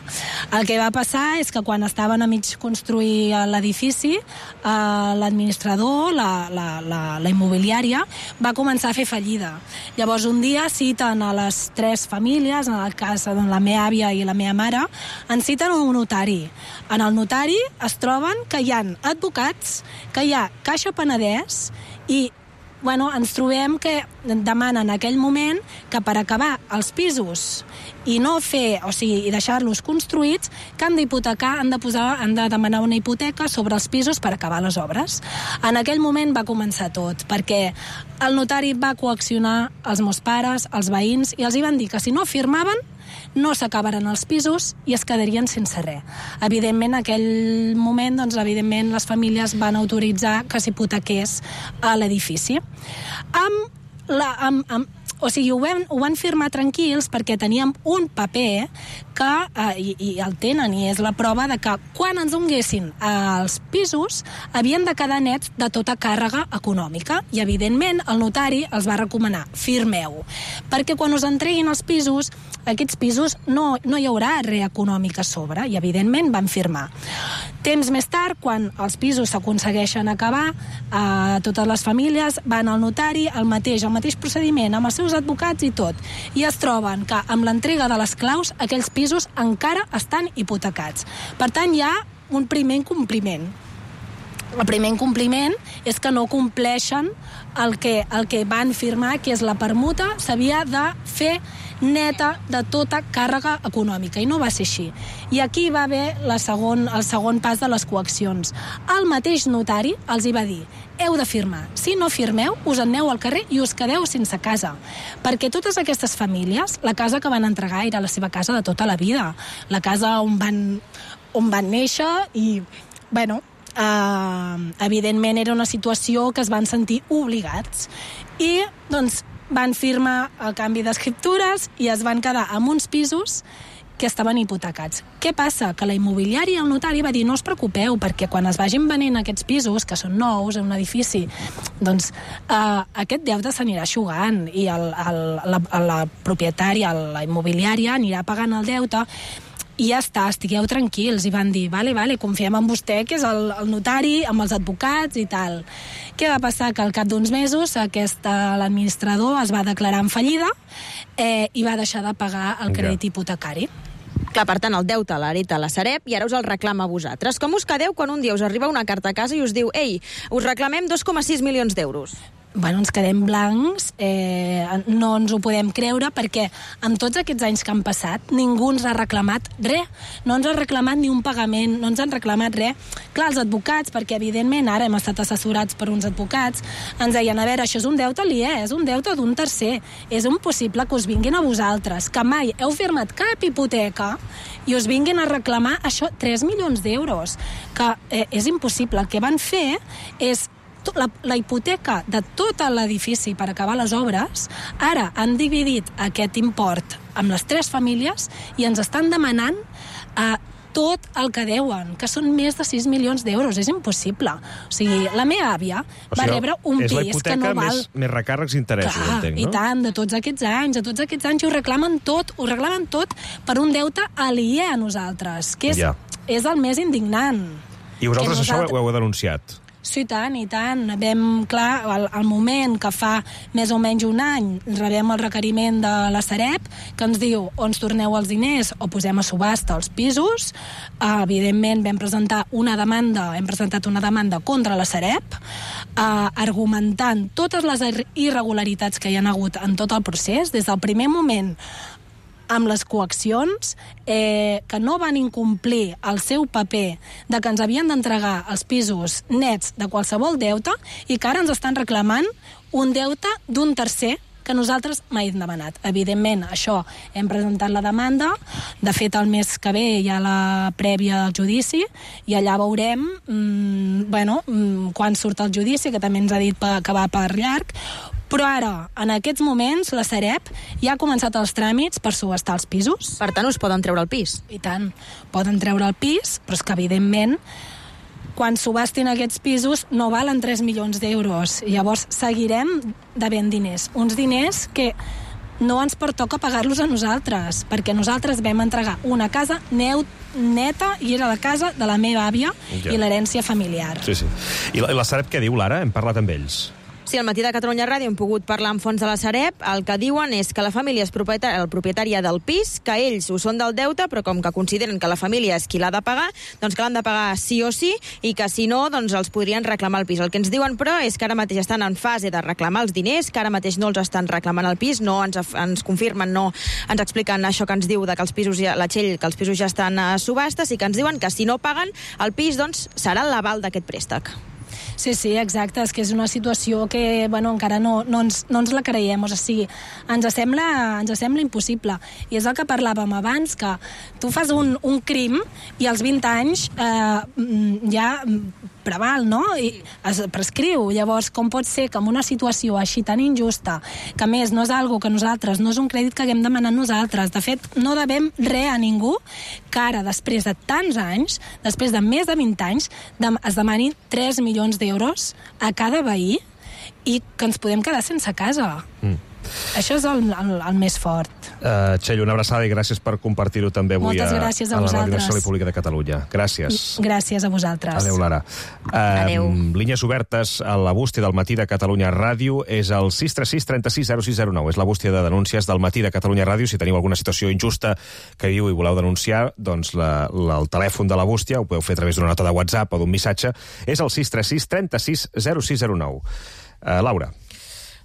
El que va passar és que quan estaven a mig construir l'edifici, eh, l'administrador, la, la, la, la immobiliària, va començar a fer fallida. Llavors un dia citen a les tres famílies, en el cas de la meva àvia i la meva mare, en citen un notari. En el notari es troben que hi ha advocats, que hi ha Caixa Penedès i bueno, ens trobem que demanen en aquell moment que per acabar els pisos i no fer, o sigui, i deixar-los construïts, que han d'hipotecar, han de posar, han de demanar una hipoteca sobre els pisos per acabar les obres. En aquell moment va començar tot, perquè el notari va coaccionar els meus pares, els veïns, i els hi van dir que si no firmaven no s'acabaran els pisos i es quedarien sense res. Evidentment, en aquell moment, doncs, evidentment, les famílies van autoritzar que s'hipotequés a l'edifici. Amb la, amb, amb, o sigui, ho van, ho van firmar tranquils perquè teníem un paper que, eh, i, i el tenen, i és la prova de que quan ens donguessin eh, els pisos havien de quedar nets de tota càrrega econòmica i, evidentment, el notari els va recomanar, firmeu, perquè quan us entreguin els pisos, aquests pisos no, no hi haurà res econòmic a sobre, i, evidentment, van firmar. Temps més tard, quan els pisos s'aconsegueixen acabar, eh, totes les famílies van al notari, el mateix, el mateix procediment, amb els seus advocats i tot, i es troben que amb l'entrega de les claus aquells pisos encara estan hipotecats. Per tant, hi ha un primer incompliment. El primer incompliment és que no compleixen el que, el que van firmar, que és la permuta, s'havia de fer neta de tota càrrega econòmica, i no va ser així. I aquí va haver la segon, el segon pas de les coaccions. El mateix notari els hi va dir: heu de firmar. Si no firmeu, us en aneu al carrer i us quedeu sense casa. Perquè totes aquestes famílies, la casa que van entregar era la seva casa de tota la vida. La casa on van, on van néixer i, bueno, eh, evidentment era una situació que es van sentir obligats. I, doncs, van firmar el canvi d'escriptures i es van quedar amb uns pisos que estaven hipotecats. Què passa? Que la immobiliària i el notari va dir: no us preocupeu, perquè quan es vagin venent aquests pisos, que són nous, en un edifici, doncs eh, aquest deute s'anirà eixugant i el, el, la, la propietària, la immobiliària, anirà pagant el deute i ja està, estigueu tranquils. I van dir: vale, vale, confiem en vostè, que és el, el notari, amb els advocats i tal. Què va passar? Que al cap d'uns mesos aquest, l'administrador es va declarar en fallida eh, i va deixar de pagar el crèdit hipotecari. Clar, per tant, el deute l'hereta la Sareb i ara us el reclama a vosaltres. Com us quedeu quan un dia us arriba una carta a casa i us diu: ei, us reclamem dos coma sis milions d'euros? bueno, ens quedem blancs, eh, no ens ho podem creure, perquè amb tots aquests anys que han passat ningú ens ha reclamat res, no ens ha reclamat ni un pagament, no ens han reclamat res. Clar, els advocats, perquè evidentment ara hem estat assessorats per uns advocats, ens deien, a veure, això és un deute aliè, és un deute d'un tercer, és impossible que us vinguin a vosaltres, que mai heu firmat cap hipoteca i us vinguin a reclamar això, tres milions d'euros, que eh, és impossible. El que van fer és La, la hipoteca de tot l'edifici per acabar les obres, ara han dividit aquest import amb les tres famílies i ens estan demanant eh, tot el que deuen, que són més de sis milions d'euros. És impossible. O sigui, la meva àvia o sigui, va rebre un pis que no val... És la hipoteca més, més recàrrecs i interessos, Clar, entenc, no? I tant, de tots aquests anys, de tots aquests anys, ho reclamen tot, ho reclamen tot per un deute aliè a nosaltres, que és, Ja. és el més indignant. I vosaltres Que això ho heu denunciat? Sí, tant, i tant. Vam, clar, al, al moment que fa més o menys un any rebem el requeriment de la Sareb, que ens diu o ens torneu els diners o posem a subhasta els pisos. Uh, evidentment vam presentar una demanda, hem presentat una demanda contra la Sareb, uh, argumentant totes les irregularitats que hi ha hagut en tot el procés, des del primer moment amb les coaccions, eh, que no van incomplir el seu paper de que ens havien d'entregar els pisos nets de qualsevol deute i que ara ens estan reclamant un deute d'un tercer que nosaltres mai hem demanat. Evidentment, això, hem presentat la demanda, de fet el mes que ve hi ha la prèvia del judici i allà veurem mmm, bueno, mmm, quan surt el judici, que també ens ha dit que va per llarg, però ara, en aquests moments, la Sareb ja ha començat els tràmits per subhastar els pisos. Per tant, us poden treure el pis. I tant, poden treure el pis, però és que, evidentment, quan subhastin aquests pisos no valen tres milions d'euros. Llavors seguirem devent diners. Uns diners que no ens pertoca pagar-los a nosaltres, perquè nosaltres vam entregar una casa neu, neta, i era la casa de la meva àvia ja. I l'herència familiar. Sí, sí. I la, la Sareb què diu, Lara? Hem parlat amb ells. Sí, al matí de Catalunya Ràdio hem pogut parlar amb fons de la Sareb. El que diuen és que la família és propietària, el propietària del pis, que ells ho són del deute, però com que consideren que la família és qui l'ha de pagar, doncs que l'han de pagar sí o sí, i que si no, doncs els podrien reclamar el pis. El que ens diuen, però, és que ara mateix estan en fase de reclamar els diners, que ara mateix no els estan reclamant el pis, no ens, ens confirmen, no ens expliquen això que ens diu de que els pisos ja, la Txell, que els pisos ja estan a subhastes, i que ens diuen que si no paguen el pis, doncs serà l'aval d'aquest préstec. Sí, sí, exacte, és que és una situació que, bueno, encara no, no, ens, no ens la creiem, o sigui, ens sembla, ens sembla impossible, i és el que parlàvem abans, que tu fas un, un crim i als vint anys eh, ja preval, no? I es prescriu. Llavors, com pot ser que en una situació així tan injusta, que a més no és algo que nosaltres, no és un crèdit que haguem demanat nosaltres, de fet, no devem res a ningú, que ara, després de tants anys, després de més de vint anys, es demanin tres milions d'euros a cada veí i que ens podem quedar sense casa. Mm. Això és el, el, el més fort. Uh, Txell, una abraçada i gràcies per compartir-ho també avui Moltes a, gràcies a, a la vosaltres. Ràdio Nacional i Pública de Catalunya. Gràcies. Gràcies a vosaltres. Adéu, Lara. Uh, Adéu. Línies obertes a la bústia del matí de Catalunya Ràdio és el sis tres sis trenta sis zero sis zero nou. És la bústia de denúncies del matí de Catalunya Ràdio. Si teniu alguna situació injusta que viu i voleu denunciar, doncs la, la, el telèfon de la bústia, ho podeu fer a través d'una nota de WhatsApp o d'un missatge, és el sis tres sis trenta sis zero sis zero nou. Uh, Laura.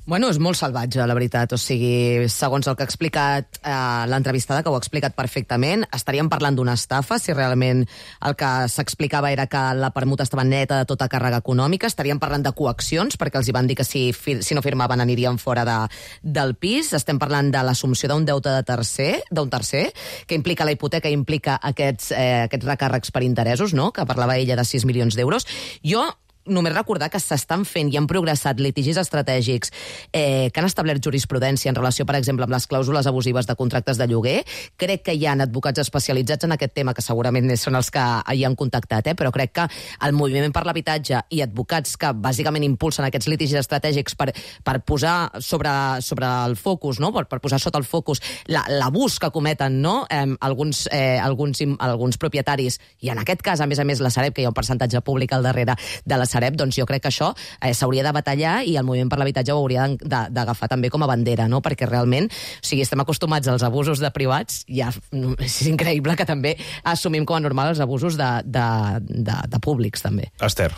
Bueno, és molt salvatge, la veritat. O sigui, segons el que ha explicat eh, l'entrevistada, que ho ha explicat perfectament, estaríem parlant d'una estafa, si realment el que s'explicava era que la permuta estava neta de tota càrrega econòmica. Estaríem parlant de coaccions, perquè els hi van dir que si, si no firmaven anirien fora de, del pis. Estem parlant de l'assumpció d'un deute de tercer, d'un tercer, que implica la hipoteca, implica aquests, eh, aquests recàrrecs per interessos, no?, que parlava ella de sis milions d'euros. Jo només recordar que s'estan fent i han progressat litigis estratègics eh, que han establert jurisprudència en relació, per exemple, amb les clàusules abusives de contractes de lloguer. Crec que hi ha advocats especialitzats en aquest tema, que segurament són els que hi han contactat, eh? Però crec que el Moviment per l'Habitatge i advocats que bàsicament impulsen aquests litigis estratègics per, per posar sobre, sobre el focus, no? per, per posar sota el focus l'abús que cometen, no? eh, alguns, eh, alguns, alguns propietaris, i en aquest cas, a més a més, la Sareb, que hi ha un percentatge públic al darrere de la Sareb, doncs jo crec que això eh, s'hauria de batallar i el Moviment per l'Habitatge ho hauria d'agafar també com a bandera, no? Perquè realment, o sigui, estem acostumats als abusos de privats, ja és increïble que també assumim com a normal els abusos de, de, de, de públics, també. Esther.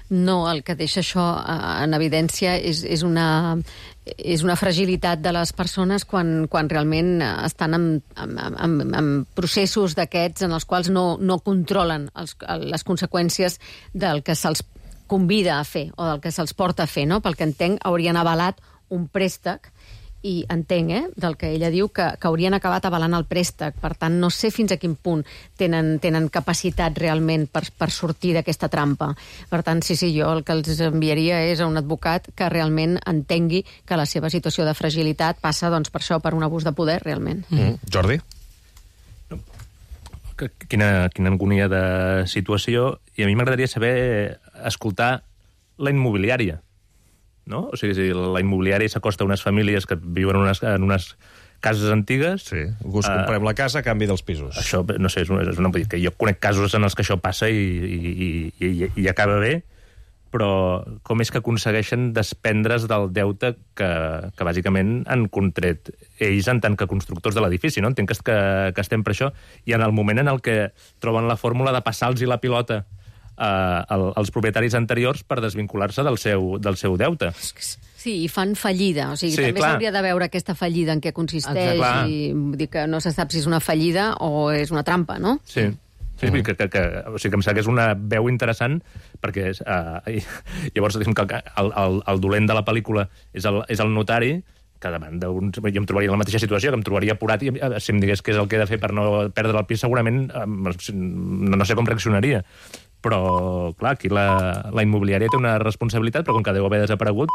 No, el que deixa això en evidència és, és, una, és una fragilitat de les persones quan, quan realment estan en, en, en, en processos d'aquests en els quals no, no controlen els, les conseqüències del que se'ls convida a fer o del que se'ls porta a fer, no? Pel que entenc, haurien avalat un préstec i entenc, eh, del que ella diu, que, que haurien acabat avalant el préstec. Per tant, no sé fins a quin punt tenen, tenen capacitat realment per, per sortir d'aquesta trampa. Per tant, sí, sí, jo el que els enviaria és a un advocat que realment entengui que la seva situació de fragilitat passa, doncs, per això, per un abús de poder, realment. Mm. Jordi? Quina, quina agonia de situació. I a mi m'agradaria saber escoltar la immobiliària. No? O sigui, si la immobiliària s'acosta a unes famílies que viuen en unes, en unes cases antigues... Sí, us comprem uh, la casa a canvi dels pisos. Això, no sé, és una, és una... Que jo conec casos en els que això passa i, i, i, i, i acaba bé, però com és que aconsegueixen desprendre's del deute que, que bàsicament han contret ells en tant que constructors de l'edifici, no? Entenc que, que, que estem per això, i en el moment en el que troben la fórmula de passar-los la pilota Uh, als propietaris anteriors per desvincular-se del seu, del seu deute. Sí, i fan fallida. O sigui, sí, també clar. s'hauria de veure aquesta fallida en què consisteix i dir que no se sap si és una fallida o és una trampa, no? Sí. Sí, uh-huh. que, que, que, o sigui, que em sembla que és una veu interessant perquè uh, llavors diguem que el, el, el dolent de la pel·lícula és el, és el notari, que davant d'un... Jo em trobaria en la mateixa situació, que em trobaria apurat i si em digués què és el que he de fer per no perdre el pis, segurament no, no sé com reaccionaria. Però, clar, aquí la, la immobiliària té una responsabilitat, però com que deu haver desaparegut,